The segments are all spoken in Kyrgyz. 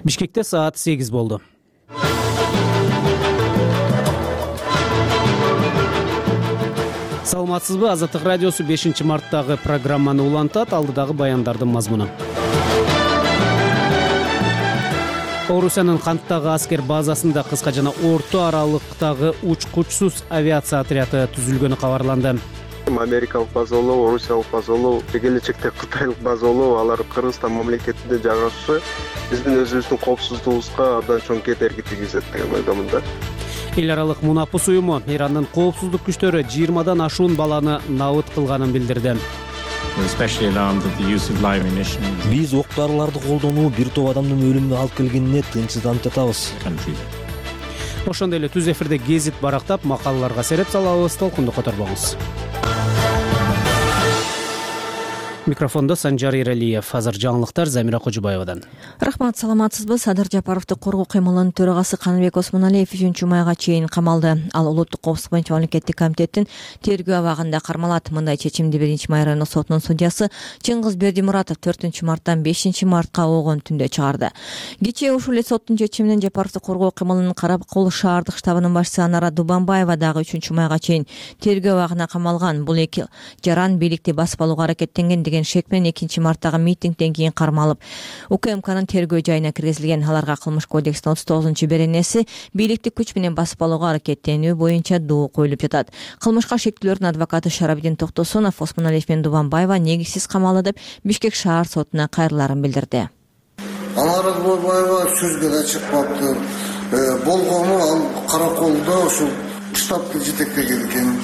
Бишкекте саат 8 болду. Саламатсызбы? Азаттык радиосу 5-марттагы программаны улантат. Алдыдагы баяндардын мазмуну. Орусиянын Канттагы аскер базасында кыска жана орто аралыктагы учкучсуз авиация отряды түзүлгөнү кабарланды. Америкалык база болобу, Орусиялык база болобу, келечекте Кытайлык база болобу, алар Кыргызстан мамлекетинде жайгашышы биздин өзүбүздүн коопсуздугубузга абдан чоң кедерги тийгизет деген ойдомун да. Эл аралык мунапыс уюму Ирандын коопсуздук күчтөрү 20дан ашуун баланы набыт кылганын билдирди. Биз ок дарыларды колдонуу бир топ адамдын өлүмүнө алып келгенине тынчсызданып жатабыз. Ошондой эле түз эфирде гезит барактап, макалаларга сереп салабыз. Толкунду которбоңуз. Микрофондо Санжар Иралиев. Азыр жаңылыктар Замира Кожубаевадан. Рахмат, саламатсызбы? Садыр Жапаровду коргоо кыймылынын төрагасы Каныбек Осмоналиев 3-майга чейин камалды. Ал Улуттук коопсуздук боюнча мамлекеттик комитеттин тергөө абагында кармалат. Мындай чечимди 1-май райондук сотунун судьясы Чыңгыз Бердимуратов 4-марттан 5-мартка огон түндө чыгарды. Кечээ ушул эле соттун чечиминен Жапаровду коргоо кыймылынын Каракол шаардык штабынын башчысы Анара Дубанбаева дагы 3-майга чейин тергөө абагына камалган. Бул эки жаран бийликти басып алууга аракеттенген деген шек менен 2-марттагы митингден кийин кармалып, УКМКнын тергөө жайына киргизилген. Аларга Кылмыш кодексинин 39-беренеси бийликти күч менен басып алууга аракеттенүү боюнча доо коюлуп жатат. Кылмышка шектүүлөрдүн адвокаты Шарабидин Токтосунов Осмоналиев менен Дубанбаева негизсиз камалды деп Бишкек шаар сотуна кайрыларын билдирди. Анара Дубанбаева сөзгө да чыкпаптыр. Болгону ал Караколдо ушул штабты жетектеген экен.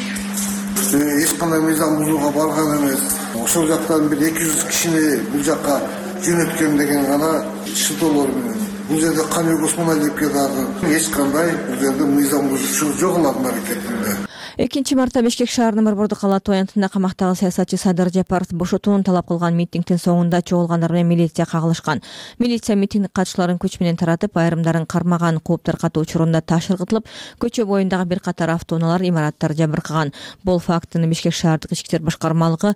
Эч кандай мыйзам бузууга барган эмес. Ошол жактан бир 200 кишини бул жакка жөнөткөн деген гана шылтоолор менен. Бул жерде Каныбек Осмоналиевке дагы эч кандай бул жерде мыйзам бузуучу жок алардын аракетинде. 2-мартта Бишкек шаарынын Борбордук кала тоянтында камактагы саясатчы Садыр Жапаров бошотууну талап кылган митингдин соңунда чогулгандар менен милиция кагылышкан. Милиция митинг катчыларын күч менен таратып, айрымдарын кармаган, кууп таркатуу учурунда таш ыргытылып, көчө боюндагы бир катар автоунаалар, имараттар жабыркаган. Бул фактыны Бишкек шаардык ички иштер башкармалыгы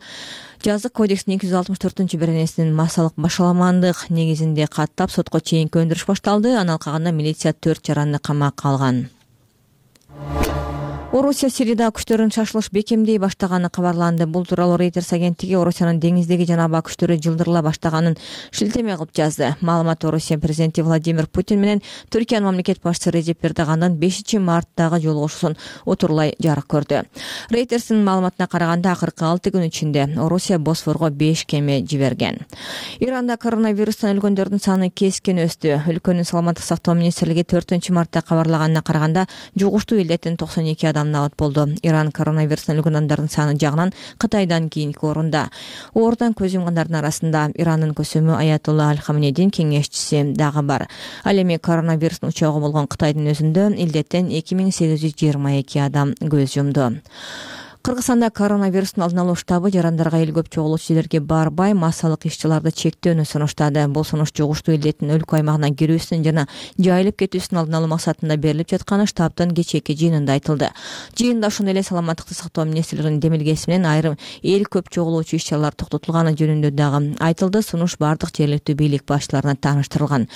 Жазык кодексинин 264-беренесинин массалык башаламандык негизинде каттап сотко чейинки өндүрүш башталды. Анан калганда милиция 4 жаранды камакка алган. Орусия Сирияда күчтөрүн шашылыш бекемдей баштаганы кабарланды. Бул тууралуу Reuters агенттиги Орусиянын деңиздеги жана аба күчтөрү жылдырыла баштаганын шилтеме кылып жазды. Маалымат Орусия президенти Владимир Путин менен Түркиянын мамлекет башчысы Режеп Эрдогандан 5-марттагы жолугушуусун отурлай жарык көрдү. Reuters'ин маалыматына караганда акыркы 6 күн ичинде Орусия Босфорго 5 кеме жиберген. Иранда коронавирустан өлгөндөрдүн саны кескен өстү. Өлкөнүн саламаттык сактоо министрлиги 4-мартта кабарлаганына караганда жугуштуу илдеттин 92 адам набыт болду. Иран коронавирустан өлгөн адамдардын саны жагынан Кытайдан кийинки орунда. Оорудан көз жумгандардын арасында Ирандын көсөмү Аятолла Аль-Хамнедин кеңешчиси дагы бар. Ал эми коронавирустун учагы болгон Кытайдын өзүндө илдеттен 2822 адам көз жумду. Кыргызстанда коронавирустун алдын алуу штабы жарандарга эл көп чогулуучу жерлерге барбай, массалык иш-чараларды чектөөнү сунуштады. Бул сунуш жугуштуу илдеттин өлкө аймагына кирүүсүнүн жана жайылып кетүүсүнүн алдын алуу максатында берилип жатканы штабтын кечээки жыйынында айтылды. Жыйында ошондой эле саламаттыкты сактоо министрлигинин демилгеси менен айрым эл көп чогулуучу иш-чаралар токтотулганы жөнүндө дагы айтылды. Сунуш бардык жергиликтүү бийлик башчыларына тааныштырылган.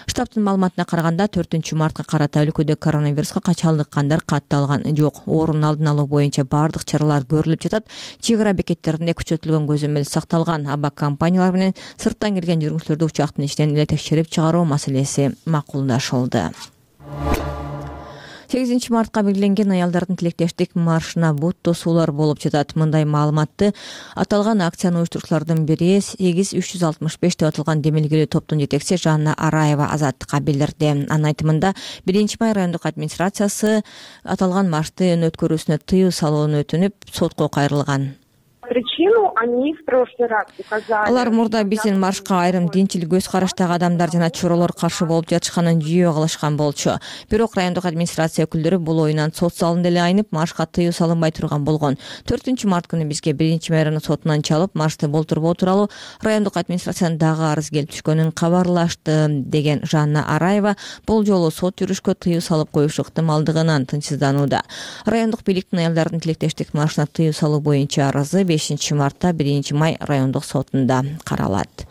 Штабтын маалыматына караганда 4-мартка карата өлкөдө коронавируска качалдыккандар катталган жок. Оорунун алдын алуу боюнча бардык чаралар көрүлүп жатат. Чек ара бекеттеринде күчөтүлгөн көзөмөл сакталган. Аба компаниялар менен сырттан келген жүргүнчүлөрдү учактын ичинен эле текшерип чыгаруу маселеси макулдашылды. 8-мартка белгиленген аялдардын тилектештик маршына бут тосуулар болуп жатат. Мындай маалыматты аталган акцияны уюштуруучулардын бири 8365 деп аталган демилгелүү топтун жетекчиси Жанна Араева Азаттыкка билдирди. Анын айтымында 1-май райондук администрациясы аталган маршты өткөрүүсүнө тыюу салууну өтүнүп, сотко кайрылган. Причину они в прошлый раз указали. Алар мурда биздин маршка айрым динчил көз караштагы адамдар жана чоролор каршы болуп жатышканын жүйө кылышкан болчу. Бирок райондук администрация өкүлдөрү бул оюнан сот залында эле айнып, маршка тыюу салынбай турган болгон. 4-март күнү бизге 1-май району сотунан чалып, маршты болтурбоо тууралуу райондук администрациянын дагы арыз келип түшкөнүн кабарлашты, деген Жанна Араева бул жолу сот жүрүшкө тыюу салып коюш ыктымалдыгынан тынчсызданууда. Райондук бийликтин аялдардын тилектештик маршына тыюу салуу боюнча арызы 15 мартта 1 май райондук сотунда каралат.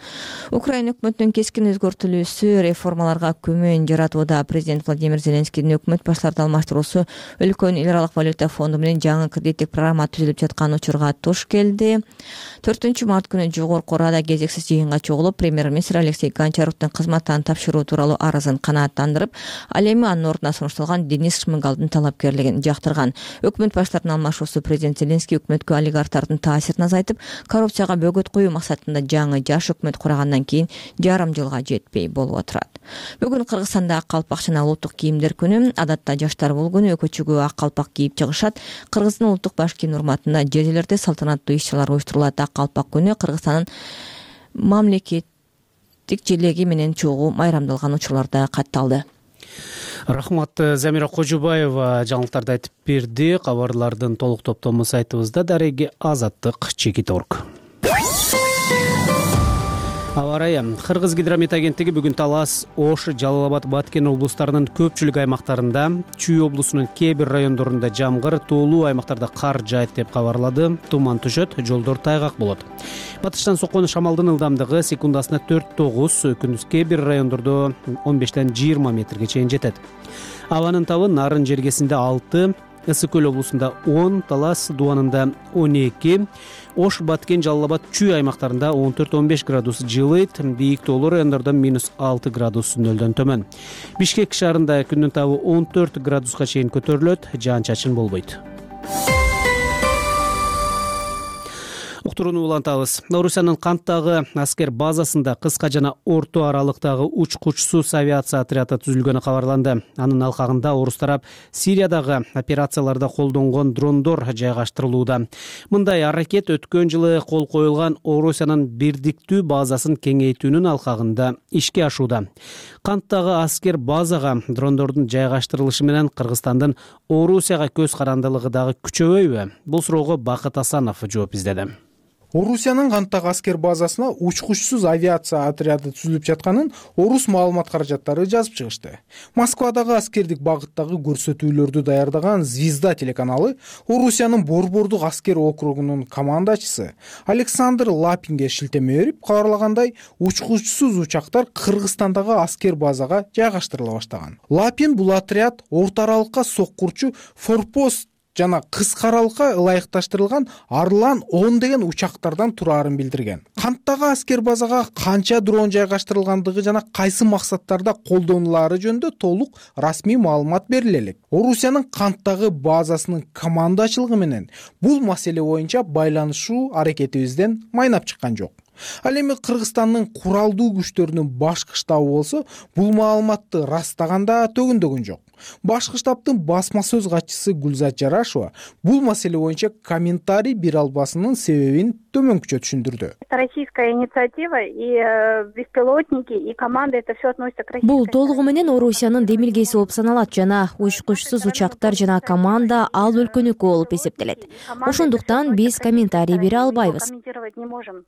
Украина өкмөтүнүн кескин өзгөртүлүүсү реформаларга күмөн жаратууда. Президент Владимир Зеленскийдин өкмөт баштарды алмаштыруусу өлкөнүн эл аралык валюта фонду менен жаңы кредиттик программа түзүлүп жаткан учурга туш келди. 4 март күнү жогорку Рада кезексиз жыйынга чогулуп, премьер-министр Алексей Гончаровдун кызматтан тапшыруу тууралуу арызын канааттандырып, ал эми анын ордуна сунушталган Денис Шмыгалдын талапкерлигин жактырган. Өкмөт баштарынын алмашуусу президент Зеленский өкмөткө олигархтардын таасирин азайтып, коррупцияга бөгөт коюу максатында жаңы жаш өкмөт кургандан кийин жарым жылга жетпей болуп отурат. Бүгүн Кыргызстанда ак калпак жана улуттук кийимдер күнү. Адатта жаштар бул күнү өкөчүгө ак калпак кийип чыгышат. Кыргыздын улуттук баш кийим урматында жер жерлерде салтанаттуу иш-чаралар уюштурулат. Ак калпак күнү Кыргызстандын мамлекеттик желеги менен чогуу майрамдалган учурларда катталды. Рахмат, Замира Кожубаева жаңылыктарды айтып берди. Кабарлардын толук топтому сайтыбызда дареги azаттык.org. Аба ырайы. Кыргыз гидромет агенттиги бүгүн Талас, Ош, Жалал Абад, Баткен облустарынын көпчүлүк аймактарында, Чүй облусунун кээ бир райондорунда жамгыр, тоолуу аймактарда кар жаайт деп кабарлады. Туман түшөт, жолдор тайгак болот. Батыштан соккон шамалдын ылдамдыгы секундасына 4-9, күндүз кээ бир райондордо 15-20 метрге чейин жетет. Абанын табы Нарын жергесинде 6, Ысык көл облусунда 10, Талас дубанында 12, Ош, Баткен, Жалал Абад, Чүй аймактарында 14-15 градус жылыйт, бийик тоолуу райондордо -6 градус нөлдөн төмөн. Бишкек шаарында күндүн табы 14 градуска чейин көтөрүлөт, жаан-чачын болбойт. Уктурууну улантабыз. Орусиянын Канттагы аскер базасында кыска жана орто аралыктагы учкучсуз авиация отряды түзүлгөнү кабарланды. Анын алкагында орус тарап Сириядагы операцияларда колдонгон дрондор жайгаштырылууда. Мындай аракет өткөн жылы кол коюлган Орусиянын бирдиктүү базасын кеңейтүүнүн алкагында ишке ашууда. Канттагы аскер базага дрондордун жайгаштырылышы менен Кыргызстандын Орусияга көз карандылыгы дагы күчөбөйбү? Бул суроого Бакыт Асанов жооп издеди. Орусиянын Канттагы аскер базасына учкучсуз авиация отряды түзүлүп жатканын орус маалымат каражаттары жазып чыгышты. Москвадагы аскердик багыттагы көрсөтүүлөрдү даярдаган Звезда телеканалы Орусиянын Борбордук аскер округунун командачысы Александр Лапинге шилтеме берип кабарлагандай, учкучсуз учактар Кыргызстандагы аскер базага жайгаштырыла баштаган. Лапин бул отряд орто аралыкка соккурчу форпост жана кыска аралыкка ылайыкташтырылган Арлан 10 деген учактардан тураарын билдирген. Канттагы аскер базага канча дрон жайгаштырылгандыгы жана кайсы максаттарда колдонулаары жөнүндө толук расмий маалымат бериле элек. Орусиянын Канттагы базасынын командачылыгы менен бул маселе боюнча байланышуу аракетибизден майнап чыккан жок. Ал эми Кыргызстандын куралдуу күчтөрүнүн башкы штабы болсо, бул маалыматты растаганда төгүндөгөн жок. Башкы штабтын басма сөз катчысы Гүлзат Жарашева бул маселе боюнча комментарий бере албасынын себебин төмөнкүчө түшүндүрдү. Это российская инициатива, и беспилотники, и команда, это все относится к российской. Бул толугу менен Орусиянын демилгеси болуп саналат жана учкучсуз учактар жана команда ал өлкөнүкү болуп эсептелет. Ошондуктан биз комментарий бере албайбыз. Комментировать не можем.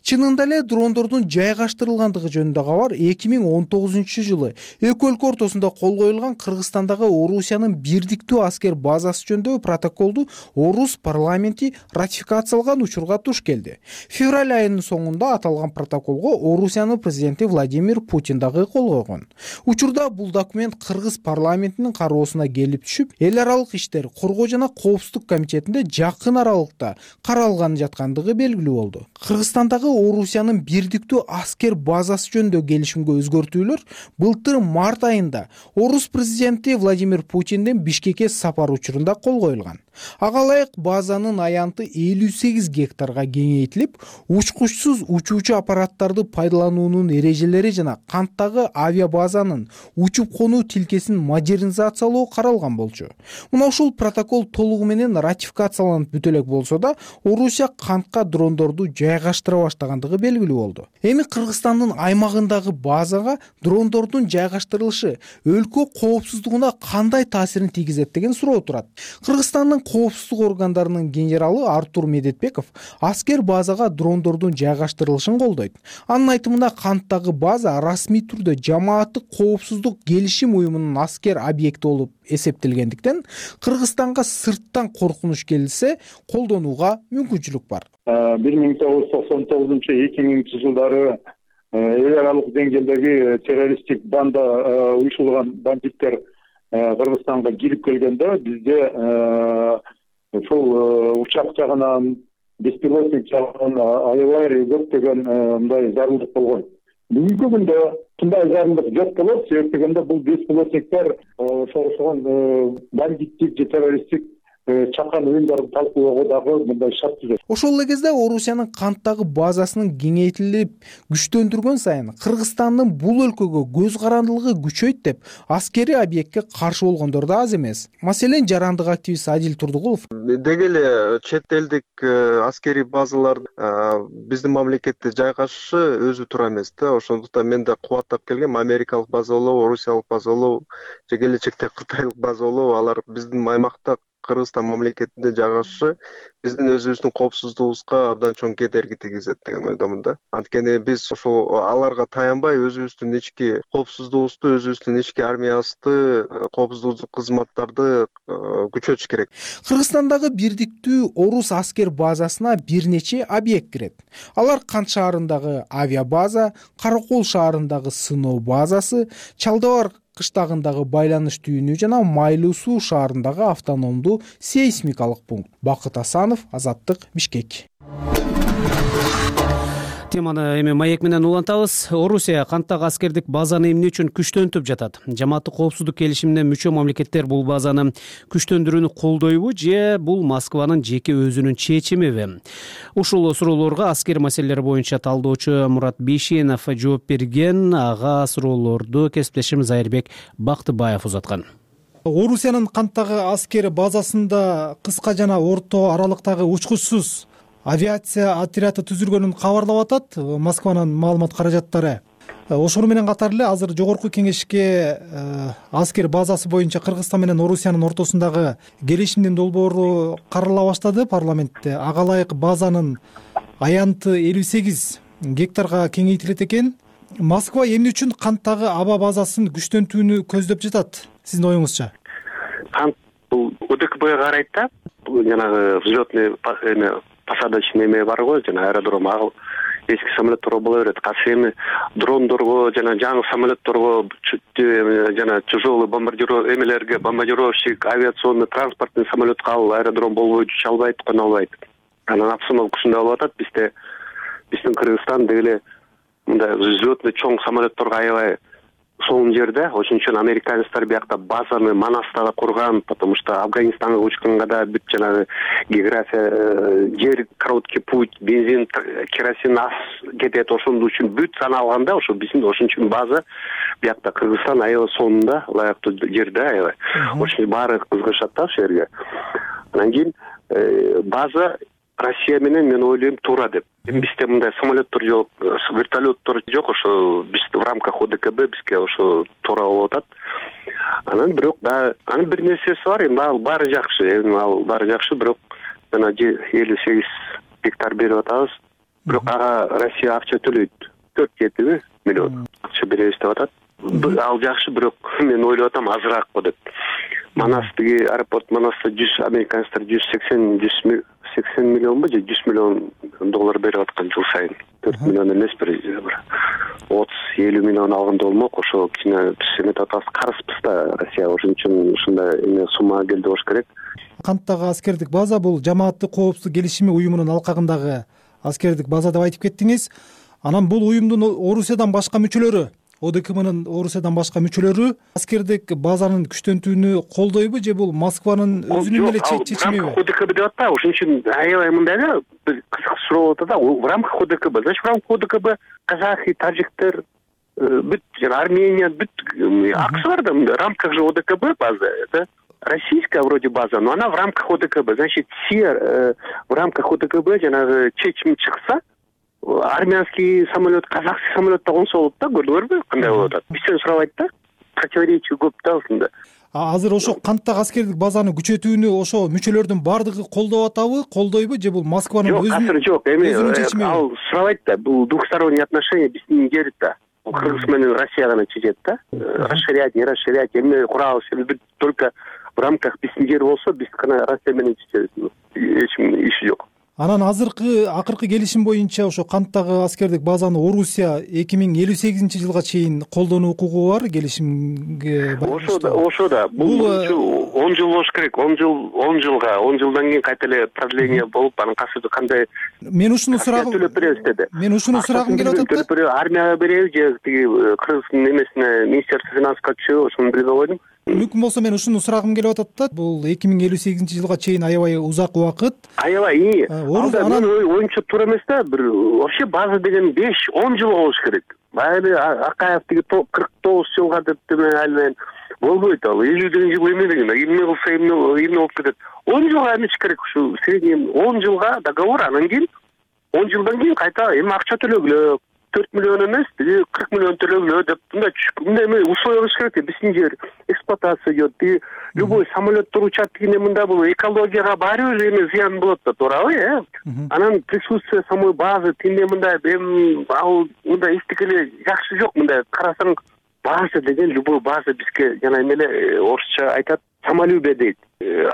Чынында эле дрондордун жайгаштырылгандыгы жөнүндө кабар 2019 жылы эки өлкө ортосунда кол коюлган Кыргызстандагы Орусиянын бирдиктүү аскер базасы жөнүндөгү протоколду орус парламенти ратификациялаган учурга туш келди. Февраль айынын соңунда аталган протоколго Орусиянын президенти Владимир Путин дагы кол койгон. Учурда бул документ Кыргыз парламентинин кароосуна келип түшүп, эл аралык иштер, коргоо жана коопсуздук комитетинде жакын аралыкта каралган жаткандыгы белгилүү болду. Кыргызстандагы Орусиянын бирдиктүү аскер базасы жөнүндө келишимге өзгөртүүлөр былтыр март айында орус президенти Владимир Путиндин Бишкекке сапар учурунда кол коюлган. Ага ылайык базанын аянты 58 гектарга кеңейтилип, учкучсуз учуучу аппараттарды пайдалануунун эрежелери жана Канттагы авиабазанын учуп конуу тилкесин модернизациялоо каралган болчу. Мына ушул протокол толугу менен ратификацияланып бүтө элек болсо да, Орусия Кантка дрондорду жайгаштыра баштагандыгы белгилүү болду. Эми Кыргызстандын аймагындагы базага дрондордун жайгаштырылышы өлкө коопсуздугуна кандай таасирин тийгизет деген суроо турат. Кыргызстандын коопсуздук органдарынын генералы Артур Медетбеков аскер базага дрондордун жайгаштырылышын колдойт. Анын айтымында канттагы база расмий түрдө жамааттык коопсуздук келишим уюмунун аскер объекти болуп эсептелгендиктен Кыргызстанга сырттан коркунуч келсе колдонууга мүмкүнчүлүк бар. 1999-2000 жылдары эл аралык деңгээлдеги террористтик банда уюшулган бандиттер Кыргызстанга кирип келгенде бизде ушул учак жагынан беспилотник жагынан аябай көптөгөн мындай зарылдык болгон. Бүгүнкү күндө мындай зарылдык жок болот. Себеп дегенде бул беспилотниктер ошол бандиттик же террористтик чакан уюмдарды талкуулоого дагы мындай шарт түзөт. Ошол эле кезде Орусиянын канттагы базасынын кеңейтилип күчтөндүргөн сайын Кыргызстандын бул өлкөгө көз карандылыгы күчөйт деп аскерий объектке каршы болгондор да аз эмес. Маселен, жарандык активист Адил Турдугулов деги эле чет элдик аскерий базалар биздин мамлекетте жайгашышы өзү туура эмес да. Ошондуктан мен да кубаттап келгем. Америкалык база болобу, Орусиялык база болобу же келечекте Кытайлык база болобу, алар биздин аймакта Кыргызстан мамлекетинде жайгашышы биздин өзүбүздүн коопсуздугубузга абдан чоң кедерги тийгизет деген ойдомун да. Анткени биз ошол аларга таянбай өзүбүздүн ички коопсуздугубузду, өзүбүздүн ички армиябызды, коопсуздук кызматтарды күчөтүш керек. Кыргызстандагы бирдиктүү орус аскер базасына бир нече объект кирет. Алар Кант шаарындагы авиабаза, Каракол шаарындагы сыноо базасы, Чалдабар кыштагындагы байланыш түйүнү жана Майлуу Суу шаарындагы автономдуу сейсмикалык пункт. Бакыт Асанов, Азаттык, Бишкек. Теманы эми маек менен улантабыз. Орусия канттагы аскердик базаны эмне үчүн күчтөнтүп жатат? Жамааттык коопсуздук келишимине мүчө мамлекеттер бул базаны күчтөндүрүүнү колдойбу же бул Москванын жеке өзүнүн чечимиби? Ушул суроолорго аскер маселелери боюнча талдоочу Мурат Бейшенов жооп берген. Ага суроолорду кесиптешим Зайырбек Бактыбаев узаткан. Орусиянын канттагы аскер базасында кыска жана орто аралыктагы учкучсуз авиация отряды түзүлгөнүн кабарлап атат Москванын маалымат каражаттары. Ошону менен катар эле азыр жогорку кеңешке аскер базасы боюнча Кыргызстан менен Орусиянын ортосундагы келишимдин долбоору карала баштады парламентте. Ага ылайык базанын аянты 58 гектарга кеңейтилет экен. Москва эмне үчүн канттагы аба базасын күчтөнтүүнү көздөп жатат? Сиздин оюңузча? Кант бул ОДКБга карайт да. Бул жанагы взлетный посадочный эме бар го, жана аэродром эски самолетторго боло берет. Кайсы эми дрондорго жана жаңы самолетторго жана тяжелый бомбардировщик эмелерге, бомбардировщик, авиационный транспортный самолетка ал аэродром болбой уча албайт, кона албайт. Анан обстановкасында болуп атат. Биздин Кыргызстан деги эле мындай взлетный чоң самолетторго аябай сонун жерде. Ошон үчүн американецтер биякта базаны Манаста курган, потому что Афганистанга учканга да бүт жанагы география, жер, короткий путь, бензин, керосин аз кетет. Ошон үчүн бүт саналганда ошо биздин ошон үчүн база биякта Кыргызстан аябай сонунда, ылайыктуу жерде аябай. Ошон баары кызыгышат да ошол жерге. Анан кийин база Россия менен мен ойлойм туура деп. Бизде мындай самолеттор жок, вертолеттор жок, ошо биз в рамках ОДКБ бизге ошо туура болуп атат. Анан бирок да анын бир нерсеси бар, эми ал баары жакшы, бирок жана 58 гектар берип атабыз. Бирок ага Россия акча төлөйт. 4-7 миллион акча беребиз деп атат. Ал жакшы, бирок мен ойлоп атам азыраак го деп. Манастыгы аэропорт Манаста американецтер 180 миллионбу же 100 миллион доллар берип аткан жыл сайын. 4 миллион эмес бир 30-50 миллион алганда болмок. Ошо кичине биз эметип атабыз, карызбыз да Россия. Ошон үчүн ушундай эме сумма келди болуш керек. Канттагы аскердик база бул жамааттык коопсуздук келишими уюмунун алкагындагы аскердик база деп айтып кеттиңиз. Анан бул уюмдун Орусиядан башка мүчөлөрү, ОДКБнын Орусиядан башка мүчөлөрү аскердик базанын күчтөнтүүнү колдойбу же бул Москванын өзүнүн эле чечимиби? ОДКБ деп атпайбы? Ошон үчүн аябай мындай да кызык суроо болуп атат да. В рамках ОДКБ, значит, в рамках ОДКБ казахи, таджиктер, бүт Армения, бүт аксы бар да. В рамках же ОДКБ база, это российская вроде база, но она в рамках ОДКБ. Значит, все в рамках ОДКБ жанагы чечим чыкса, армянский самолет, казахский самолет да консо болот да, көрдүңөрбү кандай болуп атат? Бизден сурабайт да. противоречий көп да ушунда. Азыр ошо канттагы аскердик базаны күчөтүүнү ошо мүчөлөрдүн баардыгы колдоп атабы, колдойбу же бул Москванын азыр жок, эми ал сурабайт да, бул двухсторонние отношения биздин жерде да. Кыргыз менен Россия гана чечет да. Расширять, не расширять, эмне курабыз, только в рамках биздин жер болсо биз гана Россия менен чечебиз. Эч кимдин иши жок. Анан акыркы келишим боюнча ошо канттагы аскердик базаны Орусия 2058-жылга чейин колдонуу укугу бар, келишимге. Ошо да. Бул 10 жыл болуш керек. 10 жылдан кийин кайта эле продление болуп, анан кандай. Мен ушуну сурагым келип атат да. Армияга беребиз же тиги Кыргыздын эмесине, Министерство финанска түшөбү, ошону билбей койдум. Мүмкүн болсо мен ушуну сурагым келип атат да. Бул 2058-жылга чейин аябай узак убакыт. Аябай. Анан оюнча туура эмес да. Бир вообще база деген 5-10 жыл болуш керек. Баягы Акаев тиги 49 жылга деп мен болбойт ал. 50 деген жыл эме деген. Эмне кылса эмне болуп кетет. 10 жылга эмес керек ушу средний 10 жылга договор, анан кийин 10 жылдан кийин кайта эми акча төлөгүлө. 4 миллион эмес, 40 миллион төлөгүлө деп мындай условия кылыш керек. Биздин жер эксплуатация идет. Любой самолет туручат дегенде мында бул экологияга баары бир эме зыян болот да, туурабы? Анан присутствие самой базы тиме мындай ал мындай эстикеле жакшы жок. Мындай карасаң, база деген любой база бизге жана эмеле орусча айтат, самолюбие дейт.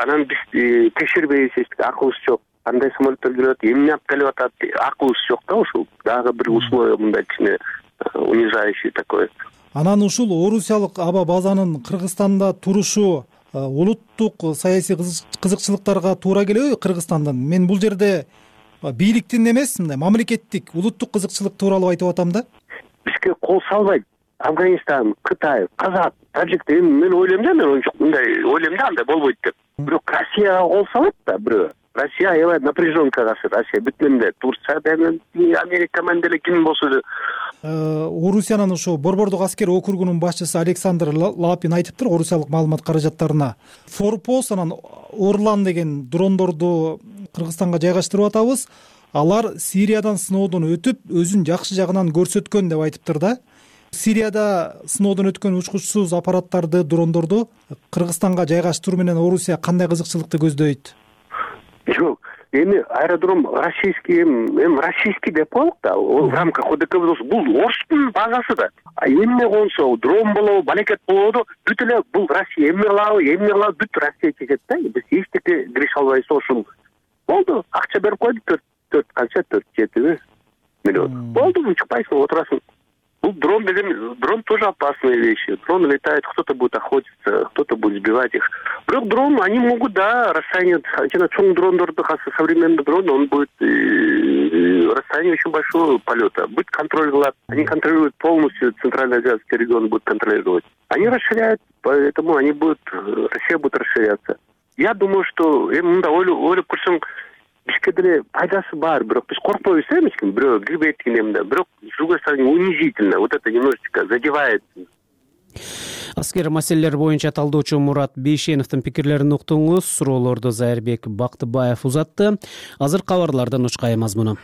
Анан биз текшербейбиз, акыбыз жок. Кандай самолеттер келип атат, эмне алып келип атат, акыбыз жок да ушул. Дагы бир условие мындай кичине унижающий такой. Анан ушул орусиялык аба базанын Кыргызстанда турушу улуттук саясий кызыкчылыктарга туура келеби Кыргызстандан? Мен бул жерде бийликтин эмес, мындай мамлекеттик, улуттук кызыкчылык тууралуу айтып атам да. Бизге кол салбайт. Афганистан, Кытай, Казак, Таджик мен ойлойм да, мындай ойлойм да, андай болбойт деп. Бирок Россияга кол салат да, бирөө. Россия аябай напряженкага чыкты. Россия бүтүндөй Турция менен, Америка менен деле ким болсо да. Орусиянын ошо Борбордук аскер округунун башчысы Александр Лапин айтыптыр орусиялык маалымат каражаттарына. Форпост анан Орлан деген дрондорду Кыргызстанга жайгаштырып атабыз. Алар Сириядан сыноодон өтүп, өзүн жакшы жагынан көрсөткөн деп айтыптыр да. Сирияда сыноодон өткөн учкучсуз аппараттарды, дрондорду Кыргызстанга жайгаштыруу менен Орусия кандай кызыкчылыкты көздөйт? Жок, эми аэродром российский, российский деп коелук да, в рамках ОДКБ бул Орустун базасы да. Эмне консо, дрон болобу, балекет болобу, бүт эле бул Россия эмне кылабы, бүт Россия чечет да. Биз эчтеке кирише албайбыз, ошол болду. Акча берип койду 4-7 миллион. Болду, чыкпайсың, отурасың. Бул дрон деген, дрон тоже опасные вещи. Дрон летает, кто-то будет охотиться, кто-то будет сбивать их. Бирок дрон, они могут, да, расстояние, чоң дрондорду, современный дрон, он будет расстояние очень большого полета. Будет контроль глаз. Они контролируют полностью Центральноазиатский регион, будут контролировать. Они расширяют, поэтому они будут, Россия будет расширяться. Я думаю, что ойлоп көрсөң, бизге деле пайдасы бар, бирок биз коркпойбуз эмеспи, бирөө кирбейт дегенде, бирок с другой стороны унизительно, вот это немножечко задевает. Аскер маселелер боюнча талдоочу Мурат Бейшеновдун пикирлерин уктуңуз. Суроолорду Зайырбек Бактыбаев узатты. Азыр кабарлардан учкай мазмуну.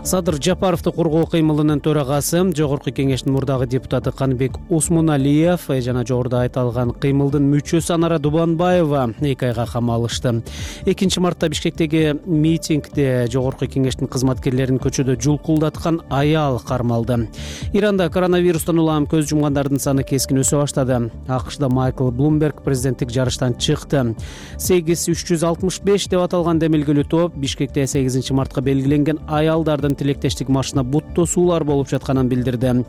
Садыр Жапаровду коргоо кыймылынын төрагасы, Жогорку кеңештин мурдагы депутаты Каныбек Осмоналиев жана жогоруда айтылган кыймылдын мүчөсү Анара Дубанбаева 2 айга камалышты. 2 мартта Бишкектеги митингде Жогорку кеңештин кызматкерлерин көчөдө жулкулдаткан аял кармалды. Иранда коронавирустан улам көз жумгандардын саны кескин өсө баштады. АКШда Майкл Блумберг президенттик жарыштан чыкты. 8365 деп аталган демилгелүү топ Бишкекте 8 мартка белгиленген аялдардын тилектештик маршына буттосуулар болуп жатканын билдирди.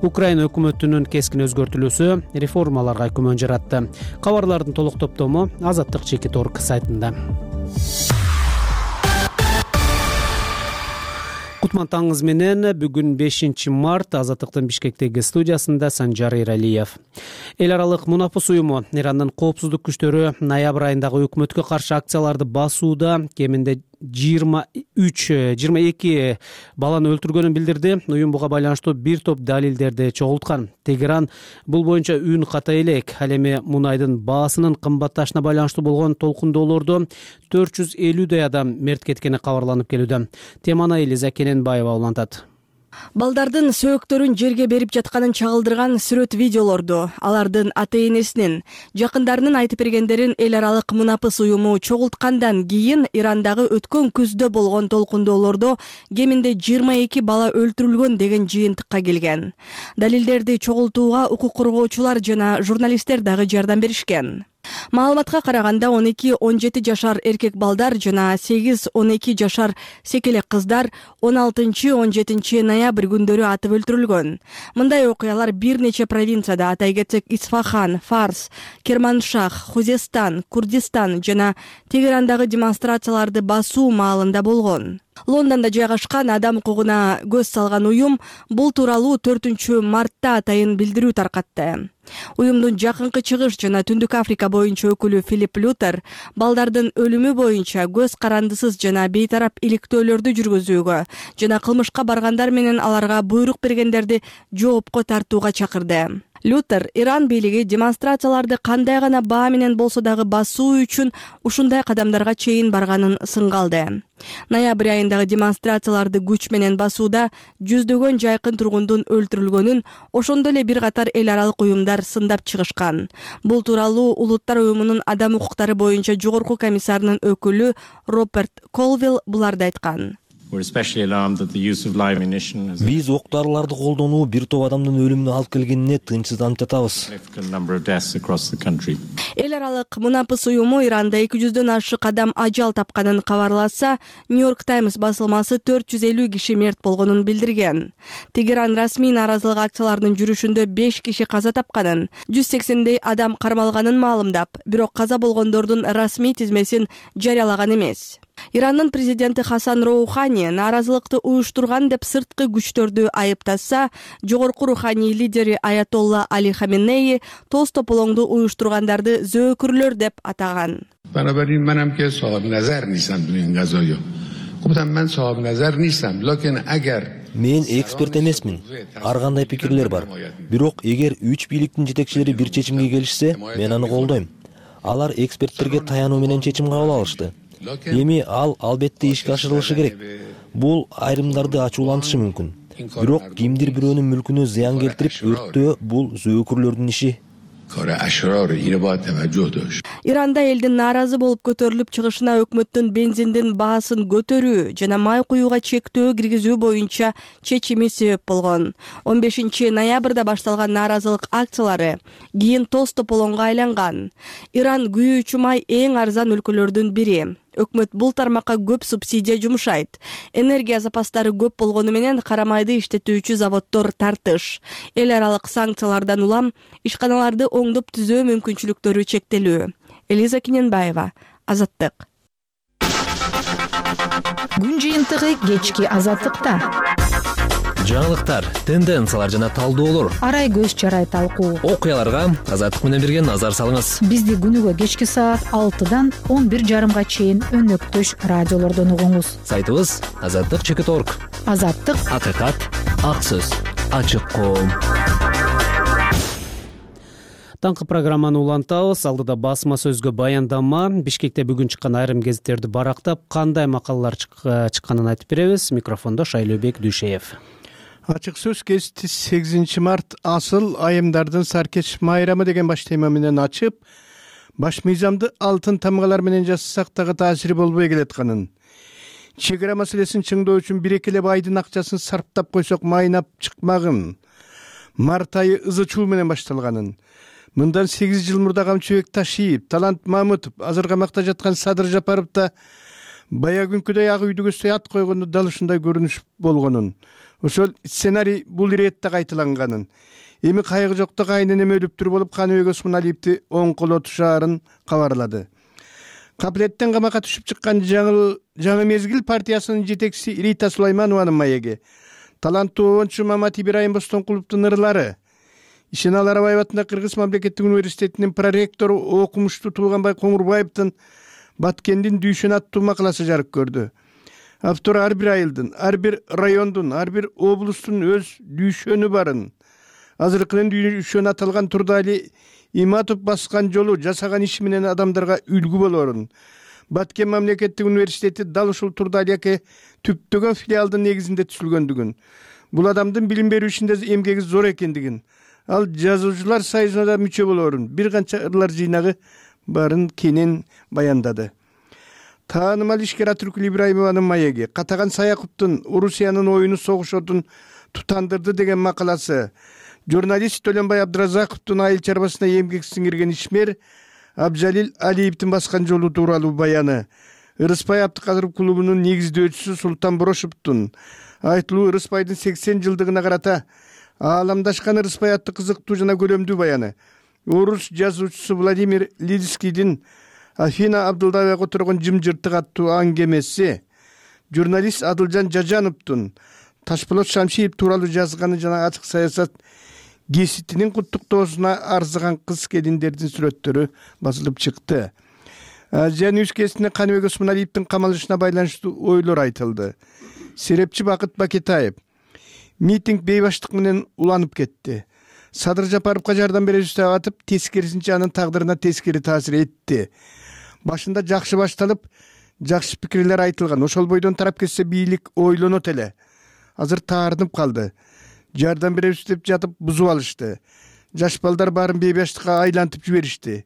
Украина өкмөтүнүн кескин өзгөртүлүүсү реформаларга күмөн жаратты. Кабарлардын толук топтому Азаттык Чекит.орг сайтында. Кутман таңыңыз менен бүгүн 5 март Азаттыктын Бишкектеги студиясында Санжар Эралиев. Эл аралык мунапыс уюму Ирандын коопсуздук күчтөрү ноябрь айындагы өкмөткө каршы акцияларды басууда кеминде 22 баланы өлтүргөнүн билдирди. Уюм буга байланыштуу бир топ далилдерди чогулткан. Тегеран бул боюнча үн ката элек. Ал эми мунайдын баасынын кымбатташына байланыштуу болгон толкундоолордо 450 адам мерт кеткени кабарланып келүүдө. Теманы Элиза Кененбаева улантат. Балдардын сөөктөрүн жерге берип жатканын чагылдырган сүрөт видеолорду алардын ата-энесинин, жакындарынын айтып бергендерин эл аралык мунапыс уюму чогулткандан кийин Ирандагы өткөн күздө болгон толкундоолордо кеминде 22 бала өлтүрүлгөн деген жыйынтыкка келген. Далилдерди чогултууга укук коргоочулар жана журналисттер дагы жардам беришкен. Маалыматка караганда 12-17 жашар эркек балдар жана 8-12 жашар секелек кыздар 16-17 ноябрь күндөрү атып өлтүрүлгөн. Мындай окуялар бир нече провинцияда, атай кетсек Исфахан, Фарс, Керманшах, Хузестан, Курдистан жана Тегерандагы демонстрацияларды басуу маалында болгон. Лондондо жайгашкан адам укугуна көз салган уюм бул тууралуу 4-мартта атайын билдирүү таркатты. Уюмдун жакынкы чыгыш жана Түндүк Африка боюнча өкүлү Филипп Лютер балдардын өлүмү боюнча көз карандысыз жана бейтарап иликтөөлөрдү жүргүзүүгө жана кылмышка баргандар менен аларга буйрук бергендерди жоопко тартууга чакырды. Лютер Иран бийлиги демонстрацияларды кандай гана баа менен болсо дагы басуу үчүн ушундай кадамдарга чейин барганын сынга алды. Ноябрь айындагы демонстрацияларды күч менен басууда жүздөгөн жайкын тургундун өлтүрүлгөнүн, ошондо эле бир катар эл аралык уюмдар сындап чыгышкан. Бул тууралуу Улуттар уюмунун адам укуктары боюнча жогорку комиссарынын өкүлү Роберт Колвилл буларды айткан. Биз ок дарыларды колдонуу бир топ адамдын өлүмүнө алып келгенине тынчсызданып жатабыз. Эл аралык мунапыс уюму Иранда 200дөн ашык адам ажал тапканын кабарласа, Нью-Йорк Таймс басылмасы 450 киши мерт болгонун билдирген. Тегеран расмий нааразылык акцияларынын жүрүшүндө 5 киши каза тапканын, 180дей адам кармалганын маалымдап, бирок каза болгондордун расмий тизмесин жарыялаган эмес. Ирандын президенти Хасан Роухани нааразылыкты уюштурган деп сырткы күчтөрдү айыптаса, жогорку руханий лидери Аятолла Али Хаменеи тоз тополоңду уюштургандарды зөөкүрлөр деп атаган. بنابراین منم که صاحب نظر نیستم تو این قضایا. گفتم من صاحب نظر نیستم لکن اگر Мен эксперт эмесмин. Ар кандай пикирлер бар. Бирок эгер 3 бийликтин жетекчилери бир чечимге келишсе, мен аны колдойм. Алар эксперттерге таянуу менен чечим кабыл алышты. Эми ал албетте ишке ашырылышы керек. Бул айрымдарды ачуулантышы мүмкүн. Бирок кимдир бирөөнүн мүлкүнө зыян келтирип өрттөө бул зөөкүрлөрдүн иши. Иранда элдин нааразы болуп көтөрүлүп чыгышына өкмөттүн бензиндин баасын көтөрүү жана май куюуга чектөө киргизүү боюнча чечими себеп болгон. 15 ноябрда башталган нааразылык акциялары кийин тоз тополоңго айланган. Иран күйүүчү май эң арзан өлкөлөрдүн бири. Өкмөт бул тармакка көп субсидия жумшайт. Энергия запастары көп болгону менен карамайды иштетүүчү заводдор тартыш. Эл аралык санкциялардан улам ишканаларды оңдоп түзөө мүмкүнчүлүктөрү чектелүү. Элиза Киненбаева, Азаттык. Күн жыйынтыгы кечки Азаттыкта. Жаңылыктар, тенденциялар жана талдоолор, арай көз чарай талкуу, окуяларга Азаттык менен бирге назар салыңыз. Бизди күнүгө кечки саат 6-дан 11:30 чейин өнөктөш радиолордон угуңуз. Сайтыбыз azаттык.org. Азаттык, акыйкат, ак сөз, ачык коом. Таңкы программаны улантабыз. Алдыда басма сөзгө баяндама. Бишкекте бүгүн чыккан айрым гезиттерди барактап, кандай макалалар чыкканын айтып беребиз. Микрофондо Шайлообек Дүйшеев. Ачык сөз гезити 8 март асыл айымдардын саркеч майрамы деген баш тема менен ачып, баш мыйзамды алтын тамгалар менен жазсак дагы таасири болбой келатканын, чек ара маселесин чыңдоо үчүн бир экелеп айдын акчасын сарптап койсок майнап чыкмагын, март айы ызы чуу менен башталганын, мындан 8 жыл мурда Камчыбек Ташиев, Талант Мамытов, азыр камакта жаткан Садыр Жапаров да баягүнкүдөй ак үйдү көздөй ат койгондо дал ушундай көрүнүш болгонун, ошол сценарий бул иретте кайталанганын, эми кайгы жокто кайненеме өлүптүр болуп Каныбек Осмоналиевди оң колотушаарын кабарлады. Капилеттен камакка түшүп чыккан жаңы мезгил партиясынын жетекчиси Рита Сулайманованын маеги, таланттуу оончу Мамат Ибрайым Бостоnkуловдун ырлары, Ишеналы Арабаев атындагы Кыргыз мамлекеттик университетинин проректору окумуштуу Туулганбай Коңурбаевдин Баткендин Дүйшөн аттуу макаласы жарык көрдү. Автор ар бир айылдын, ар бир райондун, ар бир облустун өз дүйшөнү барын. Азыркынын дүйшөнү аталган Турдали Иматов баскан жолу, жасаган иши менен адамдарга үлгү болорун. Баткен мамлекеттик университети дал ушул Турдалияке түптөгөн филиалдын негизинде түзүлгөндүгүн, бул адамдын билим берүү ишинде эмгеги зор экендигин, ал жазуучулар союзуна да мүчө болоорун бир канча ырлар жыйнагы барын кенен баяндады. Таанымал ишкер Атүркүл Ибраимованын маеги Катаган Саяковдун Орусиянын оюну согуш отун тутандырды деген макаласы, журналист Төлөнбай Абдыразаковдун айыл чарбасына эмгек сиңирген ишмер Абжалил Алиевдин баскан жолу тууралуу баяны, Ырыспай Абдыкадыров клубунун негиздөөчүсү Султан Борошовдун айтылуу Ырыспайдын 80 жылдыгына карата ааламдашкан Ырыспай аттуу кызыктуу жана көлөмдүү баяны, орус жазуучусу Владимир Лидскийдин Афина Абдылдаева которгон жымжыртык аттуу аңгемеси, журналист Адылжан Жажановдун Ташполот Шамшиев тууралуу жазганы жана ачык саясат гезитинин куттуктоосуна арзыган кыз келиндердин сүрөттөрү басылып чыкты. Азия Ньюс кезинде Каныбек Осмоналиевдин камалышына байланыштуу ойлор айтылды. Серепчи Бакыт Бакетаев: митинг бейбаштык менен уланып кетти. Садыр Жапаровго жардам беребиз деп атып, тескерисинче анын тагдырына тескери таасир этти. Башында жакшы башталып, жакшы пикирлер айтылган. Ошол бойдон тарап кетсе бийлик ойлонот эле. Азыр таарынып калды. Жардам беребиз деп жатып бузуп алышты. Жаш балдар баарын бейбаштыкка айлантып жиберишти.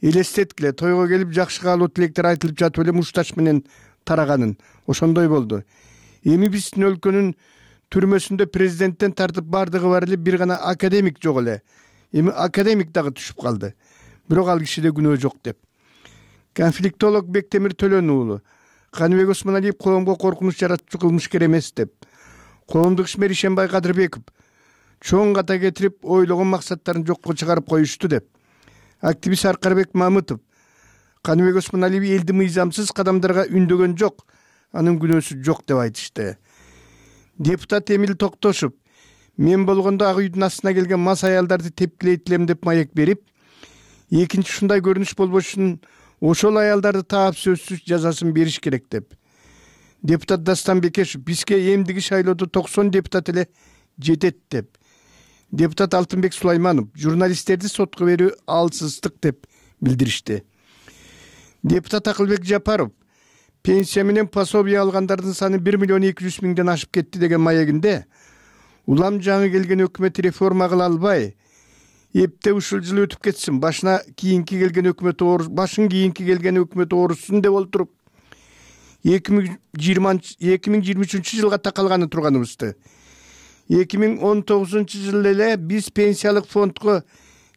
Элестеткиле, тойго келип жакшы каалоо тилектер айтылып жатып эле муштач менен тараганын. Ошондой болду. Эми биздин өлкөнүн түрмөсүндө президенттен тартып бардыгы бар эле бир гана академик жок эле. Эми академик дагы түшүп калды. Бирок ал кишиде күнөө жок деп. Конфликтолог Бектемир Төлөн уулу: Каныбек Осмоналиев коомго коркунуч жаратчу кылмышкер эмес деп. Коомдук ишмер Ишенбай Кадырбеков чоң ката кетирип, ойлогон максаттарын жокко чыгарып коюшту деп. Активист Аркарбек Мамытов: Каныбек Осмоналиев элди мыйзамсыз кадамдарга үндөгөн жок, анын күнөөсү жок деп айтышты. Депутат Эмил Токтошов: мен болгондо ак үйдүн астына келген мас аялдарды тепкилейт элем деп маек берип, экинчи ушундай көрүнүш болбош үчүн ошол аялдарды таап сөзсүз жазасын бериш керек деп. Депутат Дастан Бекешев: бизге эмдиги шайлоодо 90 депутат эле жетет деп. Депутат Алтынбек Сулайманов: журналисттерди сотко берүү алсыздык деп билдиришти. Депутат Акылбек Жапаров: пенсия менен пособие алгандардын саны 1.200.000 ашып кетти деген маегинде, улам жаңы келген өкмөт реформа кыла албай, эпте ушул жыл өтүп кетсин, башын кийинки келген өкмөт оорусун деп олтуруп 2023 жылга такалганы турганыбызды. 2019 жылы эле биз пенсиялык фондго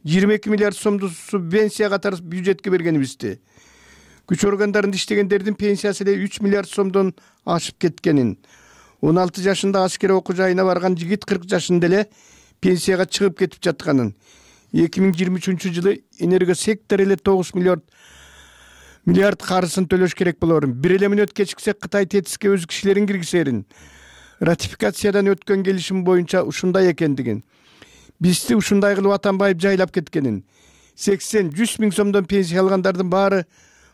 22 миллиард сомду субвенция катары бюджетке бергенибизди. Күч органдарында иштегендердин пенсиясы эле 3 миллиард сомдон ашып кеткенин, 16 жашында аскер окуу жайына барган жигит 40 жашында эле пенсияга чыгып кетип жатканын, 2023 жылы энергосектор эле 9 миллиард карызын төлөш керек болорун, бир эле мүнөт кечиксе Кытай тетиске өз кишилерин киргизерин, ратификациядан өткөн келишим боюнча ушундай экендигин, бизди ушундай кылып Атамбаев жайлап кеткенин, 80-100 миң сомдон пенсия алгандардын баары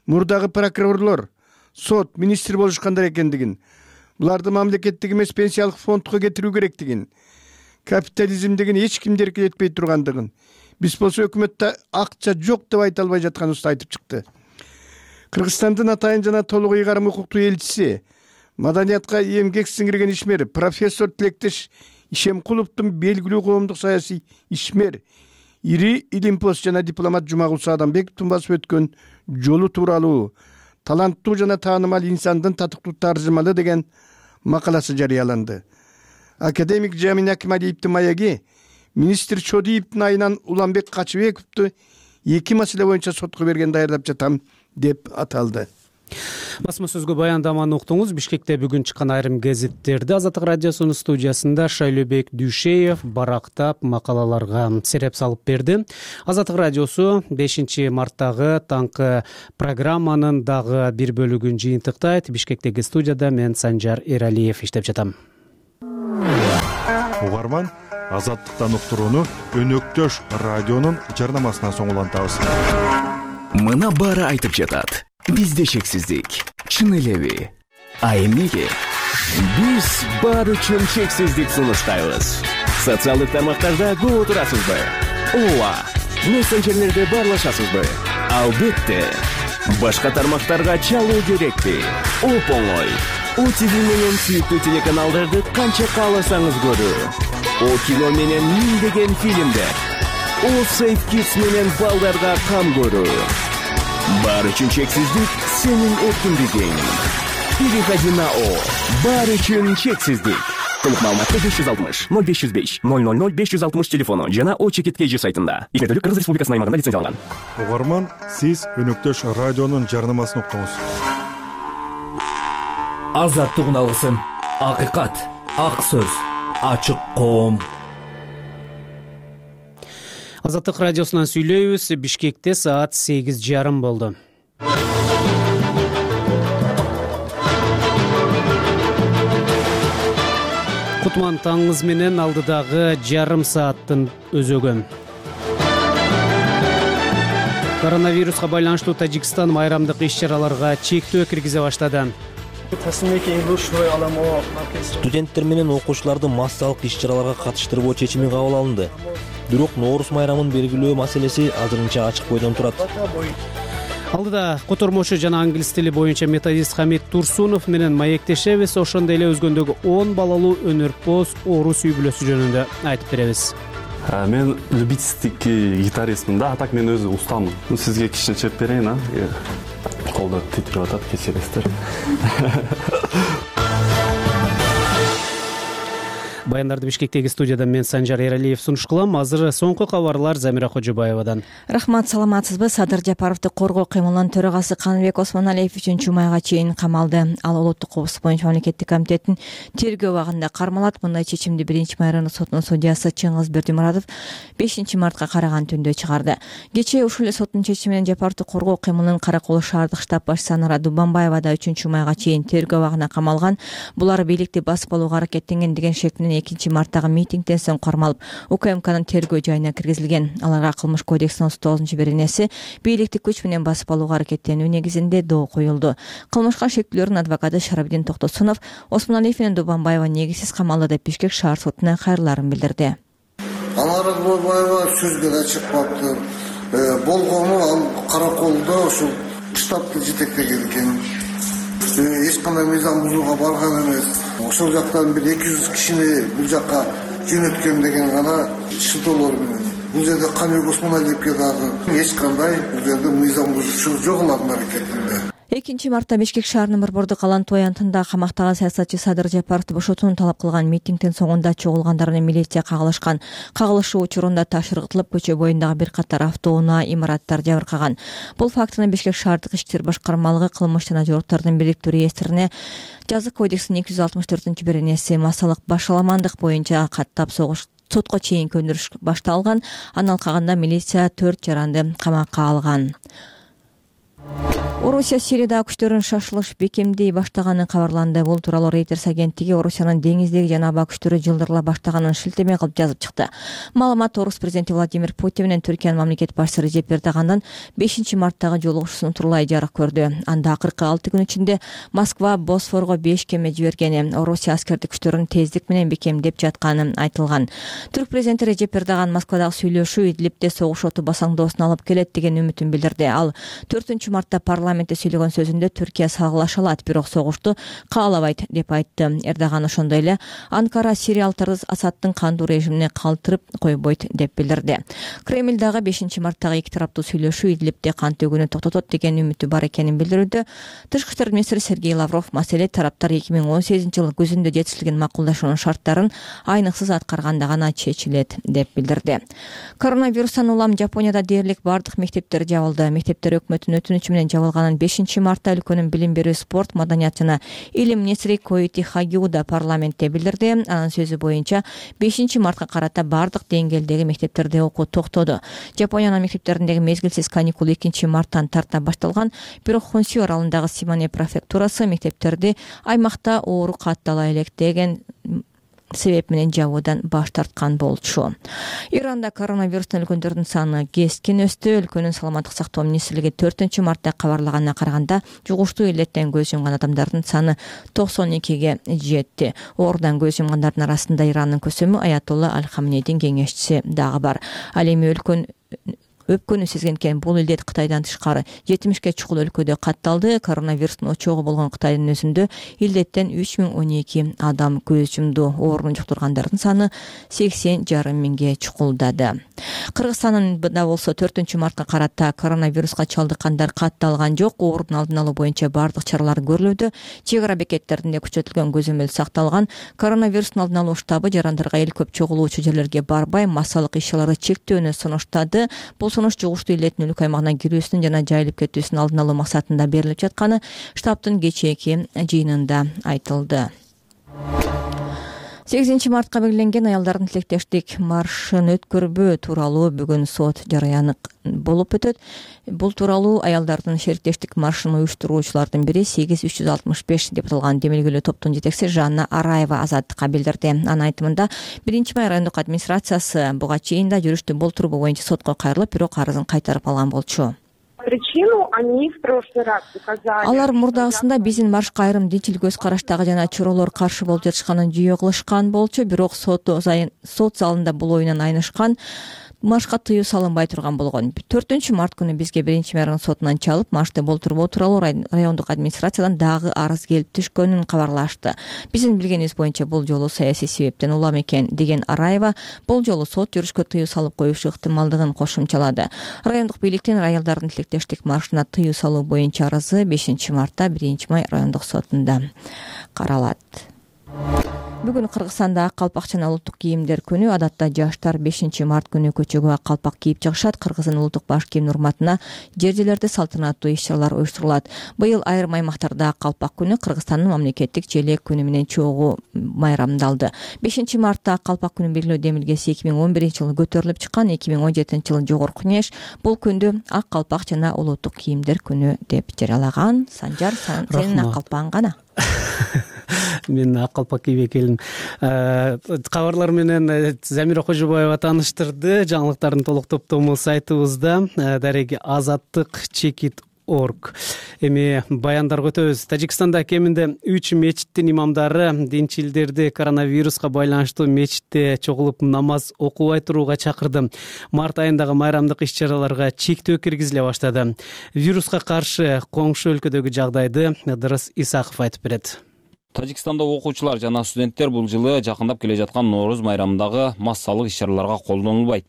мурдагы прокурорлор, сот, министр болушкандар экендигин, буларды мамлекеттик эмес пенсиялык фондко кетирүү керектигин, капитализм деген эч кимди эркелетпей тургандыгын, биз болсо өкмөттө акча жок деп айта албай жатканыбызды айтып чыкты. Кыргызстандын атайын жана толук ыйгарым укуктуу элчиси, маданиятка эмгек сиңирген ишмер профессор Тилектеш Ишемкуловдун белгилүү коомдук саясий ишмер, ири илимпоз жана дипломат Жумагулса Адамбековдун басып өткөн жолу тууралуу таланттуу жана таанымал инсандын татыктуу таржымалы деген макаласы жарыяланды. Академик Жамин Акималиевдин маеги министр Чодиевдин айынан Уланбек Качыбековду 2 маселе боюнча сотко берген даярдап жатам деп аталды. Басма сөзгө баяндаманы уктуңуз. Бишкекте бүгүн чыккан айрым гезиттерди Азаттык радиосунун студиясында Шайлөбек Дүйшеев барактап макалаларга сереп салып берди. Азаттык радиосу 5 марттагы таңкы программанын дагы бир бөлүгүн жыйынтыктайт. Бишкектеги студияда мен Санжар Эралиев иштеп жатам. Угарман, Азаттыктан уктурууну Өнөктөш радионун жарнамасынан соң улантабыз. Мына баары айтып жатат. Бизде шексиздик, чын элеби? А эмнеге? Биз баары үчүн шексиздик сунуштайбыз. Социалдык тармактарда көп отурасызбы? Ооба, мессенджерлерде баарлашасызбы? Албетте. Башка тармактарга чалуу керекпи? Оп-оңой. OTV менен сүйүктүү телеканалдарды канча кааласаңыз көрүү. О кино менен миңдеген фильмдер. О Safe Kids менен балдарга кам көрүү. Баары үчүн чексиздик сенин эркиндигиң. Переходи на О. Баары үчүн чексиздик. Толук маалыматты 560 0505 000 560 телефону жана O-Чекит.kg сайтында. Игерделик Кыргыз Республикасынын аймагында лицензияланган. Угарман, сиз Өнөктөш радионун жарнамасын уктуңуз. Азаттык алгысын, акыйкат, ак сөз, ачык коом. Азаттык радиосунан сүйлөйбүз. Бишкекте саат 8:30 болду. Кутман таңыңыз менен алдыдагы жарым сааттын өзөгү. Коронавируска байланыштуу Тажикстан майрамдык иш-чараларга чектөө киргизе баштады. Студенттер менен окуучуларды массалык иш-чараларга катыштырбоо чечими кабыл алынды. Бирок Нооруз майрамын белгилөө маселеси азырынча ачык бойдон турат. Алдыда котормочу жана англис тили боюнча методист Хамит Турсунов менен маектешебиз. Ошондой эле өзгөндөгү 10 балалуу өнөрпоз орус үй бүлөсү жөнүндө айтып беребиз. Мен любительский гитаристмин да, а так мен өзү устамын. Сизге кичине чеп берейин, а? Колдор титирип атат, кечиресиздер. Баяндарды Бишкектеги студиядан мен Санжар Эралиев сунуш кылам. Азыр соңку кабарлар Замира Кожобаевадан. Рахмат, саламатсызбы? Садыр Жапаровду коргоо кыймылынын төрагасы Каныбек Осмоналиев 3 майга чейин камалды. Ал улуттук коопсуздук боюнча мамлекеттик комитеттин тергөө абагында кармалат. Мындай чечимди 1-май райондук сотунун судьясы Чыңгыз Бердимуратов 5-мартка караган түндө чыгарды. Кечээ ушул эле соттун чечими менен Жапаровду коргоо кыймылынын Каракол шаардык штаб башчысы Анара Дубанбаева да 3-майга чейин тергөө абагына камалган. Булар бийликти басып алууга аракеттенген деген шек менен 2-марттагы митингден соң кармалып, УКМКнын тергөө жайына киргизилген. Аларга кылмыш кодексинин 39-беренеси бийликти күч менен басып алууга аракеттенүү негизинде доо коюлду. Кылмышка шектүүлөрдүн адвокаты Шарабдин Токтосунов Осмоналиев менен Дубанбаева негизсиз камалды деп Бишкек шаар сотуна кайрыларын билдирди. Анара Дубанбаева сөзгө да чыкпаптыр. Болгону ал Караколдо ушул штабты жетектеген экен. Эч кандай мыйзам бузууга барган эмес. Ошол жактан бир 200 кишини бул жакка жөнөткөн деген гана шылтоолор менен. Бул жерде Каныбек Осмоналиевке дагы эч кандай бул жерде мыйзам бузуучулук жок алардын аракетинде. 2-мартта Бишкек шаарынын Борбордук Алан-Той антында камактаган саясатчы Садыр Жапаровду бошотууну талап кылган митингдин соңунда чогулгандар менен милиция кагылышкан. Кагылышуу учурунда таш ыргытылып, көчө боюндагы бир катар автоунаа, имараттар жабыркаган. Бул фактыны Бишкек шаардык ички иштер башкармалыгы кылмыш жана жоруктардын бириктүү реестрине жазык кодексинин 264-беренеси массалык башаламандык боюнча каттап сотко чейин көндүрүш башталган. Андан калганда милиция 4 жаранды камакка алган. Орусия Сирияда күчтөрүн шашылыш бекемдей баштаганы кабарланды. Бул тууралуу Reuters агенттиги Орусиянын деңиздеги жана аба күчтөрү жылдырыла баштаганын шилтеме кылып жазып чыкты. Маалымат Орус президенти Владимир Путин менен Түркиянын мамлекет башчысы Режеп Эрдогандан 5-марттагы жолугушуусун турлай жарык көрдү. Анда акыркы 6 күн ичинде Москва Босфорго 5 кеме жибергени, Орусия аскердик күчтөрүн тездик менен бекемдеп жатканы айтылган. Түрк президенти Режеп Эрдоган Москвадагы сүйлөшүү Идлибде согуш оту басаңдоосун алып келет деген үмүтүн билдирди. Ал 4-мартта парламентте сүйлөгөн сөзүндө Түркия сагылаша алат, бирок согушту каалабайт деп айтты. Эрдоган ошондой эле Анкара сириялыктарды Асадтын кандуу режимине калтырып койбойт деп билдирди. Кремль дагы 5-марттагы эки тараптуу сүйлөшүү Идлибде кан төгүүнү токтотот деген үмүтү бар экенин билдирүүдө. Тышкы иштер министри Сергей Лавров маселе тараптар 2018-жылы күзүндө жетишилген макулдашуунун шарттарын айныксыз аткарганда гана чечилет деп билдирди. Коронавирустан улам Жапонияда дээрлик бардык мектептер жабылды. Мектептер өкмөттүн өтүнүчү менен жабылганын 5-мартта өлкөнүн билим берүү, спорт, маданият жана илим министри Коити Хагиуда парламентте билдирди. Анын сөзү боюнча 5-мартка карата бардык деңгээлдеги мектептерде окуу токтоду. Жапониянын мектептериндеги мезгилсиз каникул 2-марттан тарта башталган, бирок Хонсю аралындагы Симане префектурасы мектептерди аймакта оору каттала элек деген себеп менен жабуудан баш тарткан болчу. Иранда коронавирустан өлгөндөрдүн саны кескин өстү. Өлкөнүн саламаттык сактоо министрлиги 4-мартта кабарлаганына караганда жугуштуу илеттен көз жумган адамдардын саны 92ге жетти. Оорудан көз жумгандардын арасында Ирандын көсөмү Аятолла Аль-Хамнейдин кеңешчиси дагы бар. Ал эми өпкөнү сезген бул илдет Кытайдан тышкары 70ке чукул өлкөдө катталды. Коронавирустун очогу болгон Кытайдын өзүндө илдеттен 3012 адам көз жумду. Оорун жуктургандардын саны 80,5 миңге чукулдады. Кыргызстанда болсо 4-мартка карата коронавируска чалдыккандар катталган жок. Оорунун алдын алуу боюнча бардык чаралар көрүлүүдө. Чек ара бекеттеринде күчөтүлгөн көзөмөл сакталган. Коронавирустун алдын алуу штабы жарандарга эл көп чогулуучу жерлерге барбай, массалык иш-чараларды чектөөнү сунуштады. Бул сунуш жугуштуу илдеттин өлкө аймагына кирүүсүнүн жана жайылып кетүүсүнүн алдын алуу максатында берилип жатканы штабтын кечээки жыйынында айтылды. 8-мартка белгиленген аялдардын тилектештик маршын өткөрбөө тууралуу бүгүн сот жарыяны болуп өтөт. Бул тууралуу аялдардын шериктештик маршын уюштуруучулардын бири 8365 деп аталган демилгелүү топтун жетекчиси Жанна Араева Азаттыкка билдирди. Анын айтымында 1-май райондук администрациясы буга чейин да жүрүштү болтуруу боюнча сотко кайрылып, бирок арызын кайтарып алган болчу. Причину они в прошлый раз указали. Алар мурдагысында биздин маршка айрым динчил көз караштагы жана чоролор каршы болуп жатышканын жүйө кылышкан болчу, бирок сот залында бул оюнан айнышкан. Маршка тыюу салынбай турган болгон. 4-март күнү бизге 1-май район сотунан чалып, маршты болтурбоо тууралуу райондук администрациядан дагы арыз келип түшкөнүн кабарлашты. Биздин билгенибиз боюнча бул жолу саясий себептен улам экен деген Араева бул жолу сот жүрүшкө тыюу салып коюшу ыктымалдыгын кошумчалады. Райондук бийликтин аялдардын тилектештик маршына тыюу салуу боюнча арызы 5-мартта 1-май райондук сотунда каралат. Бүгүн Кыргызстанда ак калпак жана улуттук кийимдер күнү. Адатта жаштар 5-март күнү көчөгө ак калпак кийип чыгышат. Кыргыздын улуттук баш кийиминин урматына жер-жерлерде салтанаттуу иш-чаралар уюштурулат. Быйыл айрым аймактарда ак калпак күнү Кыргызстандын мамлекеттик желек күнү менен чогуу майрамдалды. 5-мартта ак калпак күнүн белгилөө демилгеси 2011-жылы көтөрүлүп чыккан. 2017-жылы Жогорку Кеңеш бул күндү ак калпак жана улуттук кийимдер күнү деп жарыялаган. Санжар, сенин ак калпагың кана? Мен ак калпак кийип келдим. Кабарлар менен Замира Кожобаева тааныштырды. Жаңылыктардын толук топтому сайтыбызда дареги azattik.org. Эми баяндарга өтөбүз. Тажикстанда кеминде 3 мечиттин имамдары динчилдерди коронавируска байланыштуу мечитте чогулуп намаз окубай турууга чакырды. Март айындагы майрамдык иш-чараларга чектөө киргизиле баштады. Вируска каршы коңшу өлкөдөгү жагдайды Ыдырыс Исаков айтып берет. Тажикстанда окуучулар жана студенттер бул жылы жакындап келе жаткан Нооруз майрамындагы массалык иш-чараларга колдонулбайт.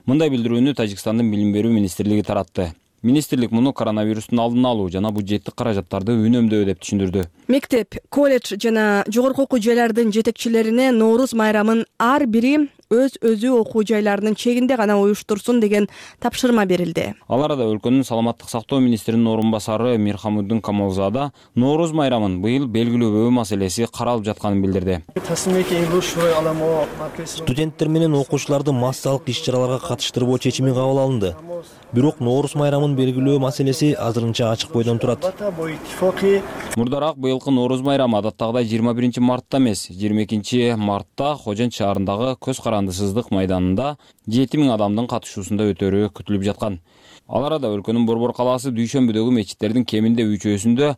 Мындай билдирүүнү Тажикстандын билим берүү министрлиги таратты. Министрлик муну коронавирустун алдын алуу жана бюджеттик каражаттарды үнөмдөө деп түшүндүрдү. Мектеп, колледж жана жогорку окуу жайлардын жетекчилерине Нооруз майрамын ар бири өзү окуу жайларынын чегинде гана уюштурсун деген тапшырма берилди. Ал арада өлкөнүн саламаттык сактоо министринин орун басары Мирхамуддин Камалзада Нооруз майрамын быйыл белгилөөбөө маселеси каралып жатканын билдирди. Студенттер менен окуучуларды массалык иш-чараларга катыштырбоо чечими кабыл алынды. Бирок Нооруз майрамын белгилөө маселеси азырынча ачык бойдон турат. Мурдараак быйылкы Нооруз майрамы адаттагыдай 21-мартта эмес, 22-мартта Хожент шаарындагы көз карандысыздык майданында 7000 адамдын катышуусунда өтөрү күтүлүп жаткан. Ал арада өлкөнүн Борбор калаасы дүйшөмбүдөгү мечиттердин кеминде 3-өсүндө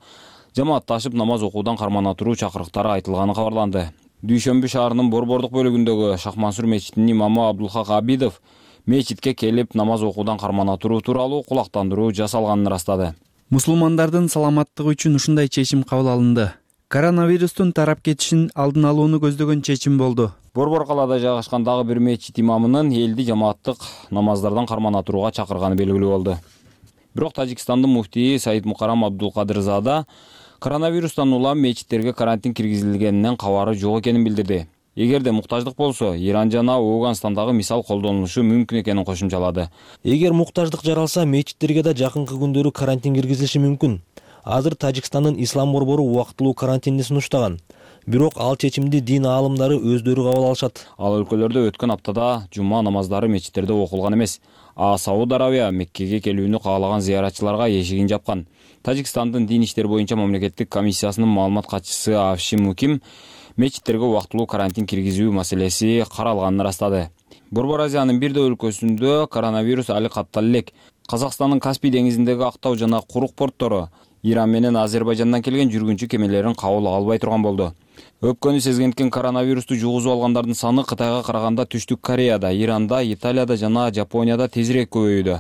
жамаатташып намаз окуудан кармана туруу чакырыктары айтылганы кабарланды. Дүйшөмбү шаарынын Борбордук бөлүгүндөгү Шахмансур мечитинин имамы Абдулхак Абидов мечитке келип намаз окуудан кармана туруу тууралуу кулактандыруу жасалганын ырастады. Мусулмандардын саламаттыгы үчүн ушундай чечим кабыл алынды. Коронавирустун тарап кетишин алдын алууну көздөгөн чечим болду. Борбор калаада жайгашкан дагы бир мечит имамынын элди жамааттык намаздардан кармана турууга чакырганы белгилүү болду. Бирок Тажикстандын муфтийи Саид Мукарам Абдулкадырзада коронавирустан улам мечиттерге карантин киргизилгенинен кабары жок экенин билдирди. Эгерде муктаждык болсо, Иран жана Ооганстандагы мисал колдонулушу мүмкүн экенин кошумчалады. Эгер муктаждык жаралса, мечиттерге да жакынкы күндөрү карантин киргизилиши мүмкүн. Азыр Тажикстандын ислам борбору убактылуу карантинди сунуштаган. Бирок ал чечимди дин аалымдары өздөрү кабыл алышат. Ал өлкөлөрдө өткөн аптада жума намаздары мечиттерде окулган эмес. Сауд Арабия Меккеге келүүнү каалаган зыяратчыларга эшигин жапкан. Тажикстандын дин иштер боюнча мамлекеттик комиссиясынын маалымат катчысы Авшим Муким мечиттерге убактылуу карантин киргизүү маселеси каралганын ырастады. Борбор Азиянын бир да өлкөсүндө коронавирус али каттала элек. Казакстандын Каспий деңизиндеги актау жана курук порттору Иран менен Азербайжандан келген жүргүнчү кемелерин кабыл албай турган болду. Өпкөнү сезгенткен коронавирусту жугузуп алгандардын саны Кытайга караганда Түштүк Кореяда, Иранда, Италияда жана Жапонияда тезирээк көбөйүүдө.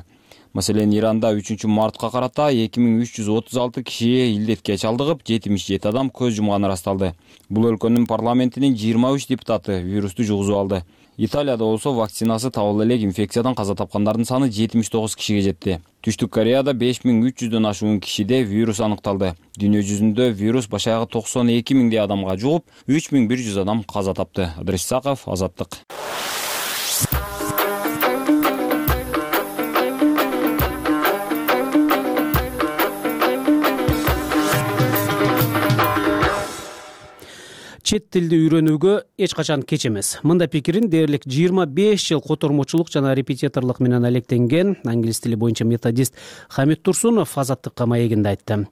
Маселен, Иранда 3 мартка карата 2336 киши илдетке чалдыгып, 77 адам көз жумганы ырасталды. Бул өлкөнүн парламентинин 23 депутаты вирусту жугузуп алды. Италияда болсо вакцинасы табыла элек инфекциядан каза тапкандардын саны 79 кишиге жетти. Түштүк Кореяда 5300дөн ашуун кишиде вирус аныкталды. Дүйнө жүзүндө вирус баш аягы 92 миңдей адамга жугуп, 3100 адам каза тапты. Адрес Саков, Азаттык. Чет тилди үйрөнүүгө эч качан кеч эмес. Мында пикирин дээрлик 25 жыл котормочулук жана репетиторлук менен алектенген англис тили боюнча методист Хамит Турсунов Азаттыкка маегинде айтты.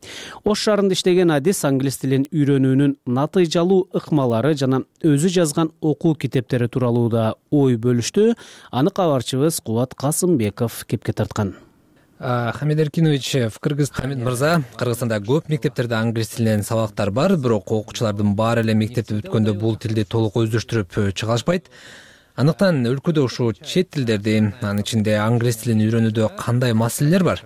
Ош шаарында иштеген адис англис тилин үйрөнүүнүн натыйжалуу ыкмалары жана өзү жазган окуу китептери тууралуу да ой бөлүштү. Аны кабарчыбыз Кубат Касымбеков кепке тарткан. Хамид Эркинович, Хамид мырза, Кыргызстанда көп мектептерде англис тилинен сабактар бар, бирок окуучулардын баары эле мектепти бүткөндө бул тилди толук өздөштүрүп чыга алышпайт. Андыктан өлкөдө ушул чет тилдерди, анын ичинде англис тилин үйрөнүүдө кандай маселелер бар?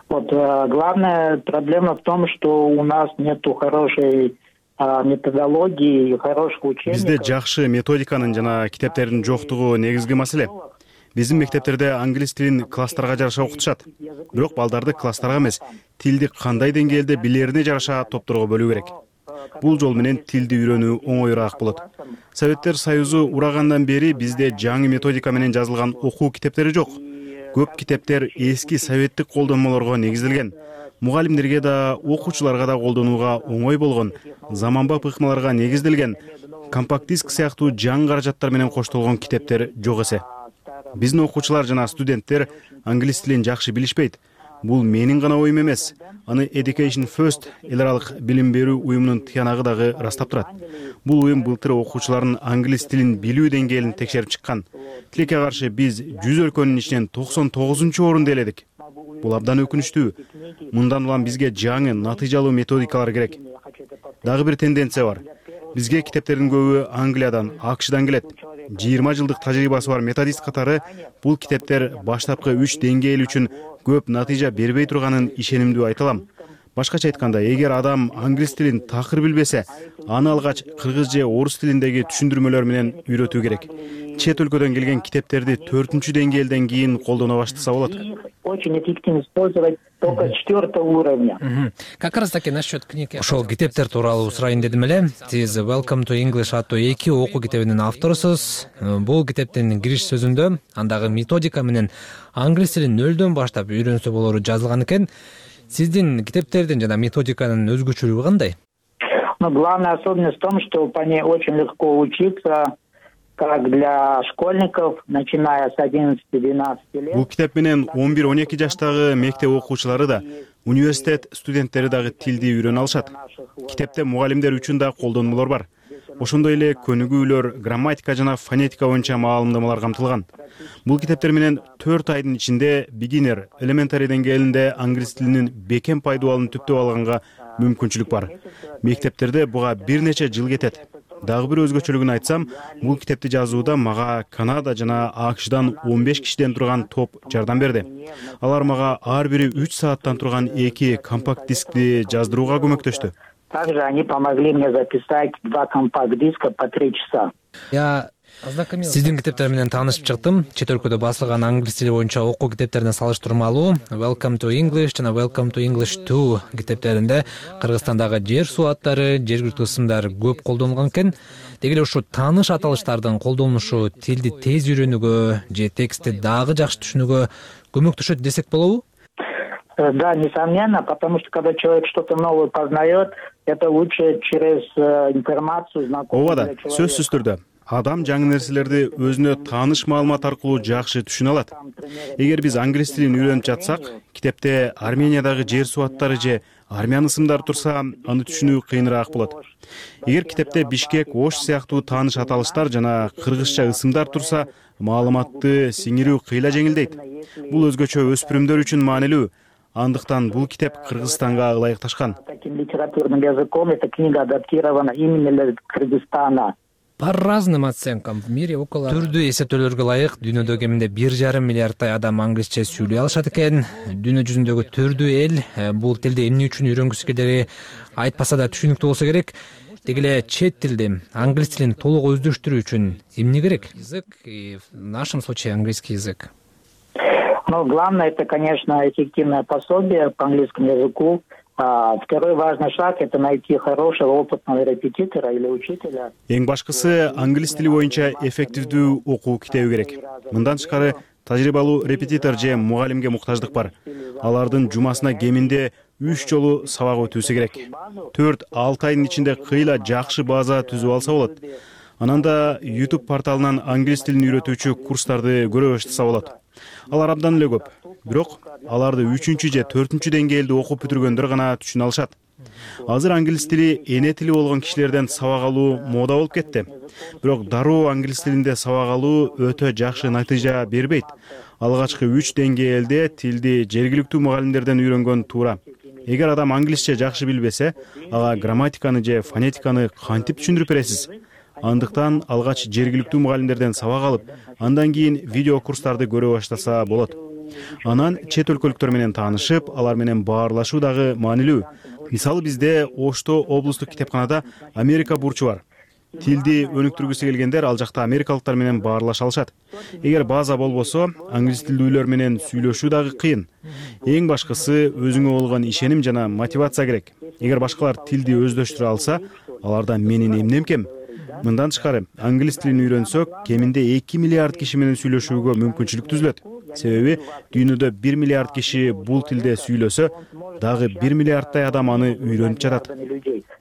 Главная проблема в том, что у нас нету хорошей методологии, хороших учебников. Бизде жакшы методиканын жана китептердин жоктугу негизги маселе. Биздин мектептерде англис тилин класстарга жараша окутушат. Бирок балдарды класстарга эмес, тилди кандай деңгээлде билерине жараша топторго бөлүү керек. Бул жол менен тилди үйрөнүү оңоюраак болот. Советтер Союзу урагандан бери бизде жаңы методика менен жазылган окуу китептери жок. Көп китептер эски советтик колдонмолорго негизделген. Мугалимдерге да, окуучуларга да колдонууга оңой болгон, заманбап ыкмаларга негизделген, компакт диск сыяктуу жаңы каражаттар менен коштолгон китептер жок эсе. Биздин окуучулар жана студенттер англис тилин жакшы билишпейт. Бул менин гана оюм эмес. Аны Education First эл аралык билим берүү уюмунун тыянагы дагы ырастап турат. Бул уюм былтыр окуучулардын англис тилин билүү деңгээлин текшерип чыккан. Тилекке каршы биз 100 өлкөнүн ичинен 99-орунду ээледик. Бул абдан өкүнүчтүү. Мындан улам бизге жаңы натыйжалуу методикалар керек. Дагы бир тенденция бар. Бизге китептердин көбү Англиядан, АКШдан келет. 20 жылдык тажрыйбасы бар методист катары бул китептер баштапкы 3 деңгээл үчүн көп натыйжа бербей турганын ишенимдүү айта алам. Башкача айтканда, эгер адам англис тилин такыр билбесе, аны алгач кыргыз же орус тилиндеги түшүндүрмөлөр менен үйрөтүү керек. Чет өлкөдөн келген китептерди 4-чү деңгээлден кийин колдоно баштаса болот. Очень эффективно использовать только 4-го уровня. Как раз таки насчет книги. Ошол китептер тууралуу сурайын дедим эле. Сиз Welcome to English аттуу 2 окуу китебинин авторусуз. Бул китептин кириш сөзүндө андагы методика менен англис тилин нөлдөн баштап үйрөнсө болору жазылган экен. Сиздин китептердин жана методиканын өзгөчөлүгү кандай? Главная особенность в том, что по ней очень легко учиться, как для школьников, начиная с 11-12 лет. Бул китеп менен 11-12 жаштагы мектеп окуучулары да, университет студенттери дагы тилди үйрөнө алышат. Китепте мугалимдер үчүн да колдонмолор бар. Ошондой эле көнүгүүлөр, грамматика жана фонетика боюнча маалымдамалар камтылган. Бул китептер менен 4 айдын ичинде beginner, elementary деңгээлинде англис тилинин бекем пайдубалын түптөп алганга мүмкүнчүлүк бар. Мектептерде буга бир нече жыл кетет. Дагы бир өзгөчөлүгүн айтсам, бул китепти жазууда мага Канада жана АКШдан 15 кишиден турган топ жардам берди. Алар мага ар бири 3 сааттан турган 2 компакт дискти жаздырууга көмөктөштү. Также они помогли мне записать 2 компакт-диска по 3 часа. Сиздин китептер менен таанышып чыктым. Чет өлкөдө басылган англис тили боюнча окуу китептерине салыштырмалуу Welcome to English жана Welcome to English 2 китептеринде Кыргызстандагы жер суу аттары, жергиликтүү ысымдар көп колдонулган экен. Деги эле ушу тааныш аталыштардын колдонулушу тилди тез үйрөнүүгө же текстти дагы жакшы түшүнүүгө көмөктөшөт десек болобу? Да, несомненно, потому что когда человек что-то новое познает, это лучше через информацию, знакомую. Ооба да, сөзсүз түрдө. Адам жаңы нерселерди өзүнө тааныш маалымат аркылуу жакшы түшүнө алат. Эгер биз англис тилин үйрөнүп жатсак, китепте Армениядагы жер суу аттары же армян ысымдары турса, аны түшүнүү кыйыныраак болот. Эгер китепте Бишкек, Ош сыяктуу тааныш аталыштар жана кыргызча ысымдар турса, маалыматты сиңирүү кыйла жеңилдейт. Бул өзгөчө өспүрүмдөр үчүн маанилүү. Андыктан бул китеп Кыргызстанга ылайыкташкан. Таким литературным языком эта книга адаптирована именно для Кыргызстана. По разным оценкам в мире около түрдүү эсептөөлөргө ылайык дүйнөдө кеминде 1,5 миллиарддай адам англисче сүйлөй алышат экен. Дүйнө жүзүндөгү түрдүү эл бул тилди эмне үчүн үйрөнгүсү келери айтпаса да түшүнүктүү болсо керек. Деги эле чет тилди, англис тилин толук өздөштүрүү үчүн эмне керек? Язык и в нашем случае английский язык. Ну, главное, это, конечно, эффективное пособие по английскому языку. Второй важный шаг – это найти хорошего, опытного репетитора или учителя. Эң башкысы англис тили боюнча эффективдүү окуу китеби керек. Мындан тышкары тажрыйбалуу репетитор же мугалимге муктаждык бар. Алардын жумасына кеминде 3 жолу сабак өтүүсү керек. 4-6 айдын ичинде кыйла жакшы база түзүп алса болот. Анан да YouTube порталынан англис тилин үйрөтүүчү курстарды көрө баштаса болот. Алар абдан эле көп. Бирок аларды 3 же 4 деңгээлде окуп бүтүргөндөр гана түшүнө алышат. Азыр англис тили эне тили болгон кишилерден сабак алуу мода болуп кетти. Бирок дароо англис тилинде сабак алуу өтө жакшы натыйжа бербейт. Алгачкы 3 деңгээлде тилди жергиликтүү мугалимдерден үйрөнгөн туура. Эгер адам англисче жакшы билбесе, ага грамматиканы же фонетиканы кантип түшүндүрүп бересиз? Андыктан алгач жергиликтүү мугалимдерден сабак алып, андан кийин видео курстарды көрө баштаса болот. Анан чет өлкөлүктөр менен таанышып, алар менен баарлашуу дагы маанилүү. Мисалы бизде Ошто облустук китепканада Америка бурчу бар. Тилди өнүктүргүсү келгендер ал жакта америкалыктар менен баарлаша алышат. Эгер база болбосо, англис тилдүүлөр менен сүйлөшүү дагы кыйын. Эң башкысы өзүңө болгон ишеним жана мотивация керек. Эгер башкалар тилди өздөштүрө алса, аларда менин эмнем кем? Мындан тышкары, англис тилин үйрөнсөк, кеминде 2 миллиард киши менен сүйлөшүүгө мүмкүнчүлүк түзүлөт. Себеби дүйнөдө 1 миллиард киши бул тилде сүйлөсө, дагы 1 миллиардтай адам аны үйрөнүп жатат.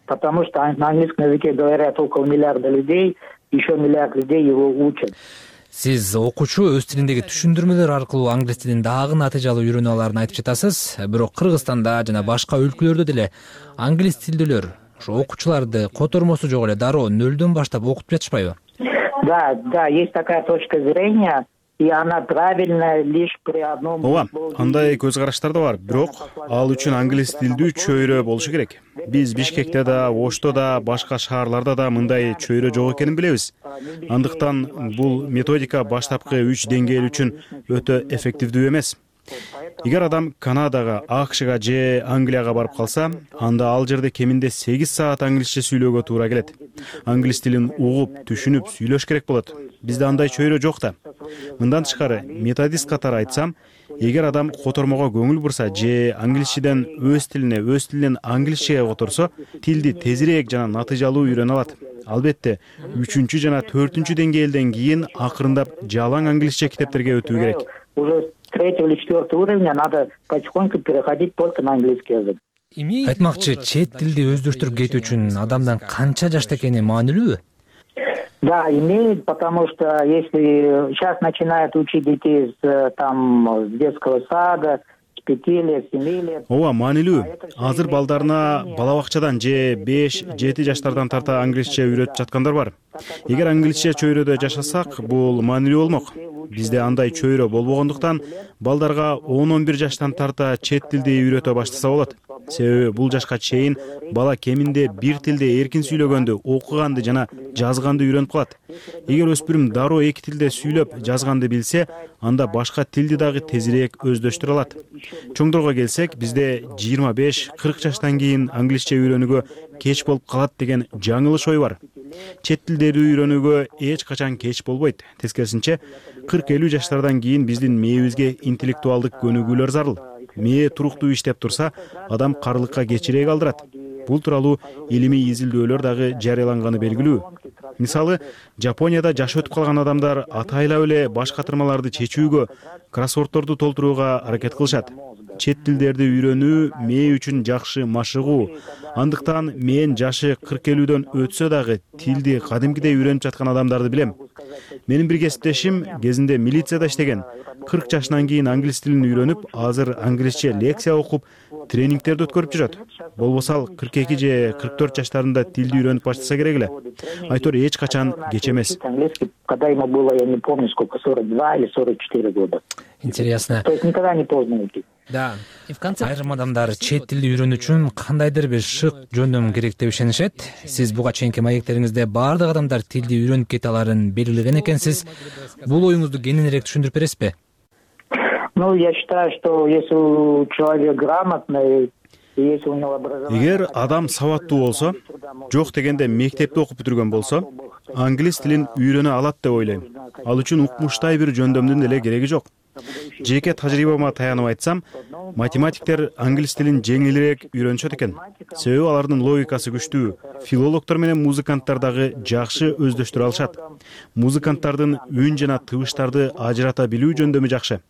Потому что на английском языке говорят около миллиарда людей, еще миллиард людей его учат. Сиз окуучу өз тилиндеги түшүндүрмөлөр аркылуу англис тилин дагы натыйжалуу үйрөнө аларын айтып жатасыз. Бирок Кыргызстанда жана башка өлкөлөрдө деле англис тилдүүлөр ошо окуучуларды котормосу жок эле дароо нөлдөн баштап окутуп жатышпайбы? Да, есть такая точка зрения. И она правильная лишь при одном. Ооба, андай көз караштар да бар, бирок ал үчүн англис тилдүү чөйрө болушу керек. Биз Бишкекте да, Ошто да, башка шаарларда да мындай чөйрө жок экенин билебиз. Андыктан бул методика баштапкы 3 деңгээл үчүн өтө эффективдүү эмес. Эгер адам Канадага, АКШга же Англияга барып калса, анда ал жерде кеминде 8 саат англисче сүйлөөгө туура келет. Англис тилин угуп, түшүнүп сүйлөш керек болот. Бизде андай чөйрө жок да. Мындан тышкары, методист катары айтсам, эгер адам котормого көңүл бурса же англисчеден өз тилинен англисчеге которсо, тилди тезирээк жана натыйжалуу үйрөнө алат. Албетте, 3 жана 4 деңгээлден кийин акырындап жалаң англисче китептерге өтүү керек. Уже с 3 или 4 уровня надо потихоньку переходить только на английский язык. Айтмакчы, чет тилди өздөштүрүп кетүү үчүн адамдан канча жашта экени маанилүүбү? Да, имеет, потому что если сейчас начинают учить детей с детского сада, с 5 лет, 7 лет. Ооба, маанилүү. Азыр балдарына бала бакчадан же 5-7 жаштардан тарта англисче үйрөтүп жаткандар бар. Эгер англисче чөйрөдө жашасак, бул маанилүү болмок. Бизде андай чөйрө болбогондуктан балдарга 10-11 жаштан тарта чет тилди үйрөтө баштаса болот. Себеби бул жашка чейин бала кеминде бир тилде эркин сүйлөгөндү, окуганды жана жазганды үйрөнүп калат. Эгер өспүрүм дароо 2 тилде сүйлөп, жазганды билсе, анда башка тилди дагы тезирээк өздөштүрө алат. Чоңдорго келсек, бизде 25-40 жаштан кийин англисче үйрөнүүгө кеч болуп калат деген жаңылыш ой бар. Чет тилдерди үйрөнүүгө эч качан кеч болбойт. Тескерисинче, 40-50 жаштардан кийин биздин мээбизге интеллектуалдык көнүгүүлөр зарыл. Мээ туруктуу иштеп турса, адам карлыкка кечирээк алдырат. Бул тууралуу илимий изилдөөлөр дагы жарыяланганы белгилүү. Мисалы, Жапонияда жашы өтүп калган адамдар атайлап эле баш катырмаларды чечүүгө, кроссвордторду толтурууга аракет кылышат. Чет тилдерди үйрөнүү мээ үчүн жакшы машыгуу. Андыктан мен жашы 40-50дөн өтсө дагы тилди кадимкидей үйрөнүп жаткан адамдарды билем. Менин бир кесиптешим кезинде милицияда иштеген. 40 жашынан кийин англис тилин үйрөнүп, азыр англисче лекция окуп, тренингтерди өткөрүп жүрөт. Болбосо ал 42 же 44 жаштарында тилди үйрөнүп баштаса керек эле. Айтор эч качан кеч эмес. Когда ему было, я не помню, сколько, 42 или 44 года. Интересно. То есть никогда не поздно уйти. Да, айрым адамдар чет тилди үйрөнүү үчүн кандайдыр бир шык жөндөм керек деп ишенишет. Сиз буга чейинки маектериңизде баардык адамдар тилди үйрөнүп кете аларын белгилеген экенсиз. Бул оюңузду кененирээк түшүндүрүп бересизби? Ну, я считаю, что если человек грамотный, если у него образование... Эгер адам сабаттуу болсо, жок дегенде мектепте окуп бүтүргөн болсо, англис тилин үйрөнө алат деп ойлойм. Ал үчүн укмуштай бир жөндөмдүн деле кереги жок. Жеке тажрыйбама таянып айтсам, математиктер англис тилин жеңилирээк үйрөнүшөт экен. Себеби алардын логикасы күчтүү. Филологдор менен музыканттар дагы жакшы өздөштүрө алышат. Музыканттардын үн жана тыбыштарды ажырата билүү жөндөмү жакшы.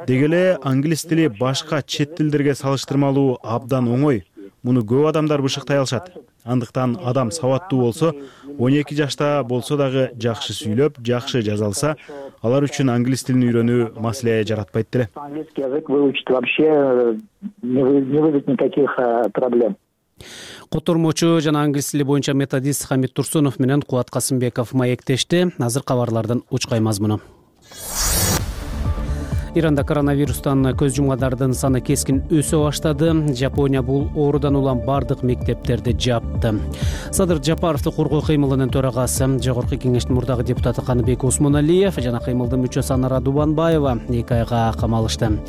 Деги эле англис тили башка чет тилдерге салыштырмалуу абдан оңой. Муну көп адамдар бышыктай алышат. Андыктан адам сабаттуу болсо, 12 жашта болсо дагы жакшы сүйлөп, жакшы жаза алса, алар үчүн англис тилин үйрөнүү маселе жаратпайт деле. Английский язык выучить вообще не вызовет никаких проблем. Котормочу жана англис тили боюнча методист Хамит Турсунов менен Кубат Касымбеков маектешти. Азыр кабарлардан учкай мазмуну. Иранда коронавирустан көз жумгандардын саны кескин өсө баштады. Жапония бул оорудан улам бардык мектептерди жапты. Садыр Жапаровду коргоо кыймылынын төрагасы, Жогорку кеңештин мурдагы депутаты Каныбек Осмоналиев жана кыймылдын мүчөсү Анара Дубанбаева 2 айга камалышты.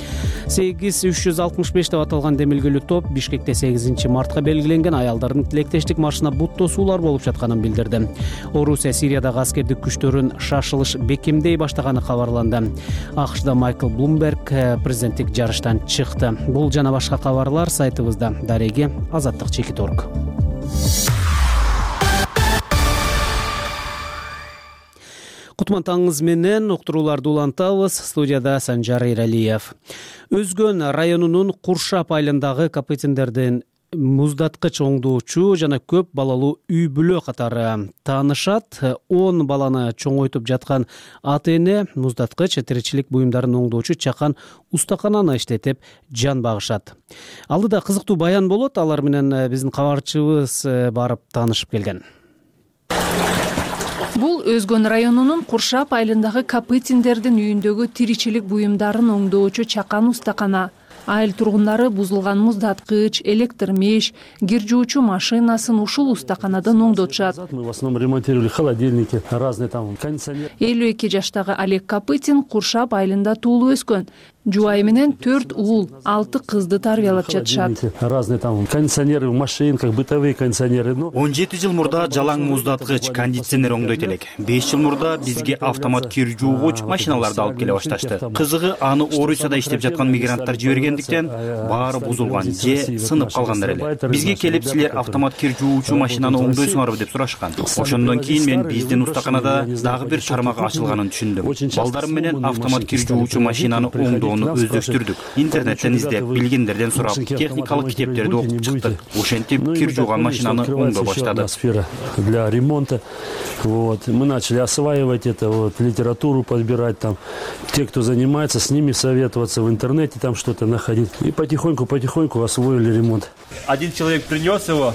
8365 деп аталган демилгелүү топ Бишкекте 8 мартка белгиленген аялдардын тилектештик маршына бут тосуулар болуп жатканын билдирди. Орусия Сириядагы аскердик күчтөрүн шашылыш бекемдей баштаганы кабарланды. АКШда Майкл Блумберг президенттик жарыштан чыкты. Бул жана башка кабарлар сайтыбызда. Дареги Азаттык Чекит.орг. Кутман таңыңыз менен уктурууларды улантабыз. Студияда Санжар Иралиев. Өзгөн районунун Куршап айылындагы Капытиндердин муздаткыч оңдоочу жана көп балалуу үй бүлө катары таанышат. 10 баланы чоңойтуп жаткан ата-эне муздаткыч тиричилик буюмдарын оңдоочу чакан устакананы иштетип жан багышат. Алдыда кызыктуу баян болот. Алар менен биздин кабарчыбыз барып таанышып келген. Бул Өзгөн районунун Куршап айылындагы Капытиндердин үйүндөгү тиричилик буюмдарын оңдоочу чакан устакана. Айыл тургундары бузулган муздаткыч, электр меш, кир жуучу машинасын ушул устаканадан оңдотушат. Мы в основном ремонтировали холодильники, разные там кондиционеры. 52 жаштагы Олег Капытин Куршап айылында туулуп өскөн. Жубайы менен 4 уул, 6 кызды тарбиялап жатышат. Разные там кондиционеры в машинках, бытовые кондиционеры. 17 жыл мурда жалаң муздаткыч, кондиционер оңдойт элек. 5 жыл мурда бизге автомат кир жуугуч машиналарды алып келе башташты. Кызыгы аны Орусияда иштеп жаткан мигранттар жибергендиктен баары бузулган же сынып калгандар эле. Бизге келип силер автомат кир жуучу машинаны оңдойсуңарбы деп сурашкан. Ошондон кийин мен биздин устаканада дагы бир тармак ачылганын түшүндүм. Балдарым менен автомат кир жуучу машинаны оңдоону өздөштүрдүк. Интернеттен издеп, билгендерден сурап, техникалык китептерди окуп чыктык. Ошентип кир жууган машинаны оңдой баштадык. Для ремонта. Вот, мы начали осваивать это, вот, литературу подбирать там. Те, кто занимается, с ними советоваться в интернете, там что-то находить. И потихоньку освоили ремонт. Один человек принес его.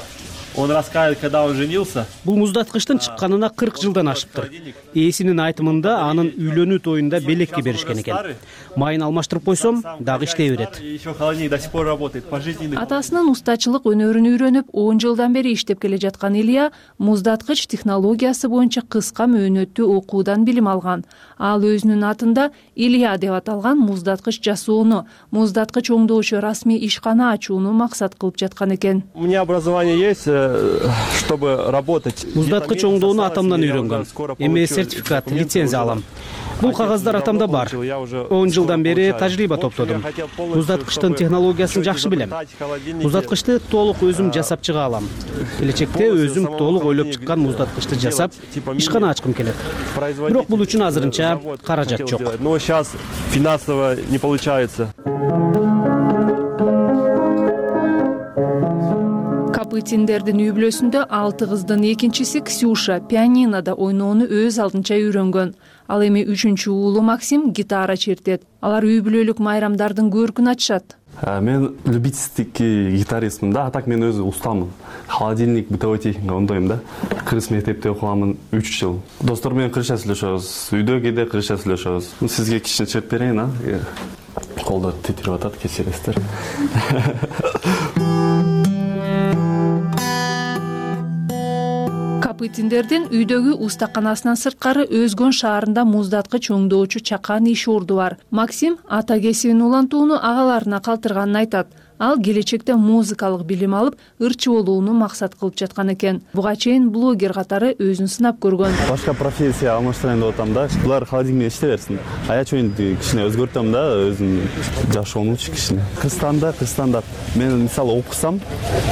Он рассказывает, когда он женился. Бул муздаткычтын чыкканына 40 жылдан ашыптыр. Ээсинин айтымында анын үйлөнүү тоюнда белекке беришкен экен. Майын алмаштырып койсом, дагы иштей берет. Еще холодильник до сих пор работает. Пожизненный. Атасынын устачылык өнөрүн үйрөнүп, 10 жылдан бери иштеп келе жаткан Илья муздаткыч технологиясы боюнча кыска мөөнөттүү окуудан билим алган. Ал өзүнүн атында Илья деп аталган муздаткыч жасоону, муздаткыч оңдоочу расмий ишкана ачууну максат кылып жаткан экен. У меня образование есть, чтобы работать. Муздаткыч оңдоону атамдан үйрөнгөм. Эми сертификат, лицензия алам. Бул кагаздар атамда бар. 10 жылдан бери тажрыйба топтодум. Муздаткычтын технологиясын жакшы билем. Муздаткычты толук өзүм жасап чыга алам. Келечекте өзүм толук ойлоп чыккан муздаткычты жасап, ишкана ачкым келет. Бирок бул үчүн азырынча каражат жок. Но сейчас финансово не получается. Капытиндердин үй бүлөсүндө 6 кыздын экинчиси Ксюша пианинода ойноону өз алдынча үйрөнгөн. Ал эми 3-чү уулу Максим гитара чертет. Алар үй бүлөлүк майрамдардын көркүн ачышат. Мен любительский гитаристмин да, а так мен өзү устамын. Холодильник, бытовой техника оңдойм да. Кыргыз мектепте окуганмын 3 жыл. Достор менен кыргызча сүйлөшөбүз. Үйдө кээде кыргызча сүйлөшөбүз. Сизге кичине чеп берейин, а? колдор титирип атат, кечиресиздер. Капытиндердин үйдөгү устаканасынан сырткары Өзгөн шаарында муздаткыч өңдөөчү чакан иш орду бар. Максим ата кесибин улантууну агаларына калтырганын айтат. Ал келечекте музыкалык билим алып, ырчы болууну максат кылып жаткан экен. Буга чейин блогер катары өзүн сынап көргөн. Башка профессия алмаштырайын деп атам да. Булар холодильник менен иштей берсин. Аячоюнду кичине өзгөртөм да, өзүм жашоомчу кичине. Кыргызстанда мен мисалы окусам,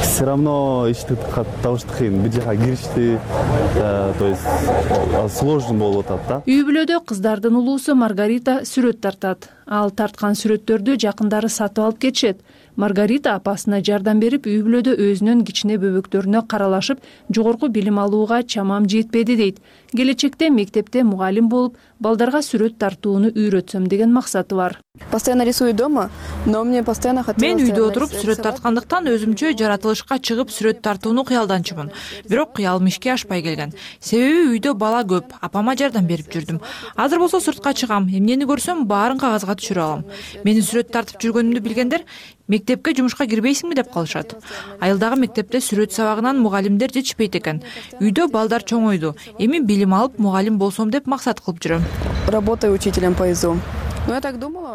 все равно ишти табыш кыйын. Бир жака киришти, то есть сложный болуп атат да. Үй бүлөдө кыздардын улуусу Маргарита сүрөт тартат. Ал тарткан сүрөттөрдү жакындары сатып алып кетишет. Маргарита апасына жардам берип, үй бүлөдө өзүнүн кичине бөбөктөрүнө каралашып, жогорку билим алууга чамам жетпеди дейт. Келечекте мектепте мугалим болуп, балдарга сүрөт тартууну үйрөтсөм деген максаты бар. Постоянно рисую дома, но мне постоянно хотелось... Мен үйдө отуруп сүрөт тарткандыктан өзүмчө жаратылышка чыгып сүрөт тартууну кыялданчумун. Бирок кыялым ишке ашпай келген. Себеби үйдө бала көп, апама жардам берип жүрдүм. Азыр болсо сыртка чыгам, эмнени көрсөм баарын кагазга түшүрө алам. Менин сүрөт тартып жүргөнүмдү билгендер мектепке жумушка кирбейсиңби деп калышат. Айылдагы мектепте сүрөт сабагынан мугалимдер жетишпейт экен. Үйдө балдар чоңойду. Эми билим алып мугалим болсом деп максат кылып жүрөм. Работаю учителем по ИЗО.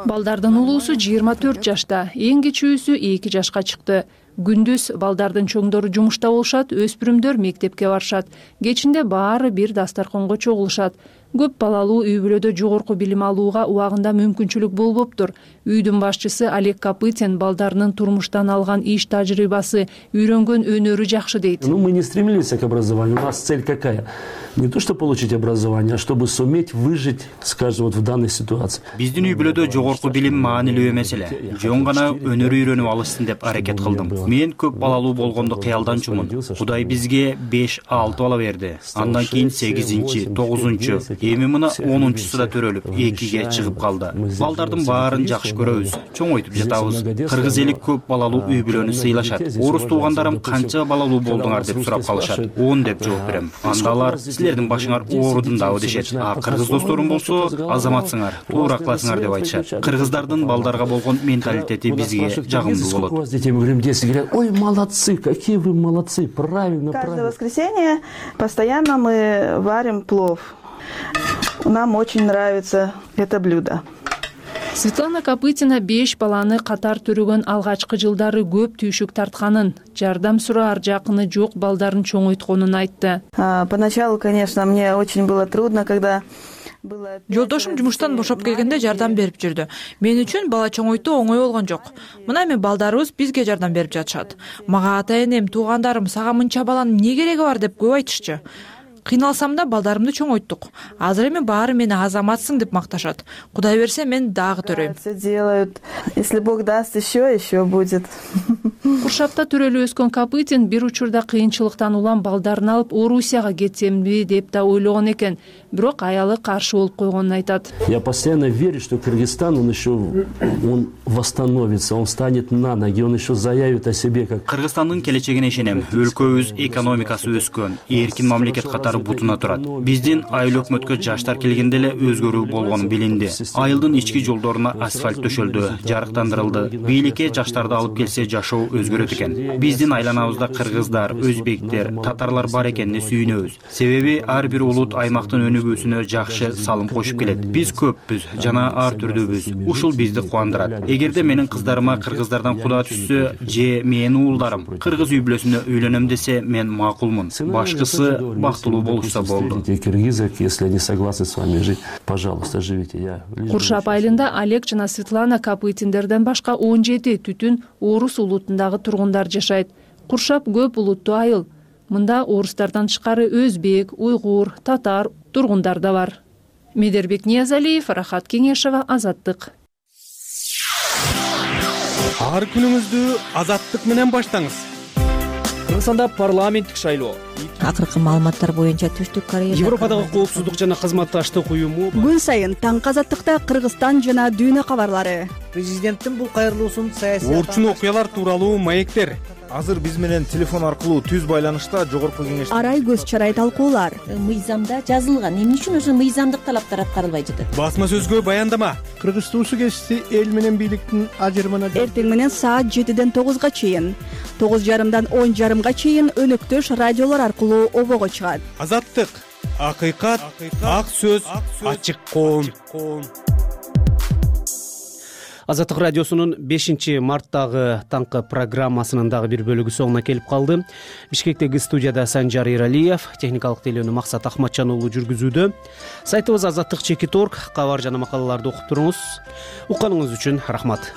Балдардын улуусу 24 жашта, эң кичүүсү 2 жашка чыкты. Күндүз балдардын чоңдору жумушта болушат, өспүрүмдөр мектепке барышат. Кечинде баары бир дастарконго чогулушат. Көп балалуу үй бүлөдө жогорку билим алууга убагында мүмкүнчүлүк болбоптур. Үйдүн башчысы Олег Копытин балдарынын турмуштан алган иш тажрыйбасы, үйрөнгөн өнөрү жакшы дейт. Мы не стремились к образованию. У нас цель какая? Не то, что получить образование, а чтобы суметь выжить, скажем, вот в данной ситуации. Биздин үй бүлөдө жогорку билим маанилүү эмеселе. Жөн гана өнөр үйрөнүп алышсын деп аракет кылдым. Мен көп балалуу болгонду кыялданчумун. Кудай бизге 5-6 бала берди. Андан кийин 8-чи, 9-чу, эми мына 10-чусу да төрөлүп 2-ге чыгып калды. Балдардын баарын жакшы көрөбүз, чоңойтуп жатабыз. Кыргыз эли көп балалуу үй бүлөнү сыйлашат. Орус туугандарым канча балалуу болдуңар деп сурап калышат. 10 деп жооп берем. Анда алар силердин башыңар оорудундабы дешет. А кыргыз досторум болсо азаматсыңар, туура кыласыңар деп айтышат. Кыргыздардын балдарга болгон менталитети бизге жагымдуу болот. Ой, молодцы, какие вы молодцы, правильно. Каждое воскресенье постоянно мы варим плов. Нам очень нравится это блюдо. Светлана Копытина 5 баланы катар төрөгөн алгачкы жылдары көп түйшүк тартканын, жардам сураар жакыны жок балдарын чоңойтконун айтты. Поначалу, конечно, мне очень было трудно, когда Жолдошум жумуштан бошоп келгенде жардам берип жүрдү. Мен үчүн бала чоңойтуу оңой болгон жок. Мына эми балдарыбыз бизге жардам берип жатышат. Мага ата-энем, туугандарым сага мынча баланын эмне кереги бар деп көп айтышчу. Кыйналсам да балдарымды чоңойттук. Азыр эми баары мени азаматсың деп макташат. Кудай берсе мен дагы төрөйм. Делают. Если Бог даст, еще будет. Куршапта төрөлүп өскөн Копытин бир учурда кыйынчылыктан улам балдарын алып Орусияга кетсемби деп да ойлогон экен. Бирок аялы каршы болуп койгонун айтат. Я постоянно верю, что Кыргызстан, он восстановится, он встанет на ноги, он еще заявит о себе как... Кыргызстандын келечегине ишенем. Өлкөбүз экономикасы өскөн, эркин мамлекет катары бутуна турат. Биздин айыл өкмөткө жаштар келгенде эле өзгөрүү болгону билинди. Айылдын ички жолдоруна асфальт төшөлдү, жарыктандырылды. Бийликке жаштарды алып келсе жашоо өзгөрөт экен. Биздин айланабызда кыргыздар, өзбектер, татарлар бар экенине сүйүнөбүз. Себеби ар бир улут аймактын өнүгүүсүнө жакшы салым кошуп келет. Биз көппүз, жана ар түрдүүбүз. Ушул бизди кубандырат. Эгерде менин кыздарыма кыргыздардан куда түшсө, же менин уулдарым кыргыз үй бүлөсүнө үйлөнөм десе, мен макулмун. Башкысы бактылуу болушса болду. Если они согласны с вами жить, пожалуйста, живите. Куршап айылында Олег жана Светлана Копытиндерден башка 17 түтүн орус улутундагы тургундар жашайт. Куршап көп улуттуу айыл. Мында орустардан тышкары өзбек, уйгур, татар тургундар да бар. Медербек Ниязалиев, Рахат Кеңешева, Азаттык. Ар күнүңүздү Азаттык менен баштаңыз. Кыргызстанда парламенттик шайлоо. Акыркы маалыматтар боюнча Түштүк Корея Европадагы коопсуздук жана кызматташтык уюму күн сайын таңкы Азаттыкта Кыргызстан жана дүйнө кабарлары. Президенттин бул кайрылуусун саясий орчун окуялар тууралуу маектер. азыр биз менен телефон аркылуу түз байланышта жогорку кеңеш арай көз чарай талкуулар. Мыйзамда жазылган, эмне үчүн ошо мыйзамдык талаптар аткарылбай жатат? Басма сөзгө баяндама. Кыргыз Суу кесипи эл менен бийликтин ажырымына Эртең менен саат 7-ден 9-га чейин, 9:30-дан 10:30-га чейин өнөктөш радиолор аркылуу обого чыгат. Азаттык, акыйкат, ак сөз, ачык коом. Азаттык радиосунун 5-марттагы таңкы программасынын дагы бир бөлүгү соңуна келип калды. Бишкектеги студияда Санжар Иралиев, техникалык тейлөөнү Максат Ахматжан уулу жүргүзүүдө. Сайтыбыз azаттык.org, кабар жана макалаларды окуп туруңуз. Укканыңыз үчүн рахмат.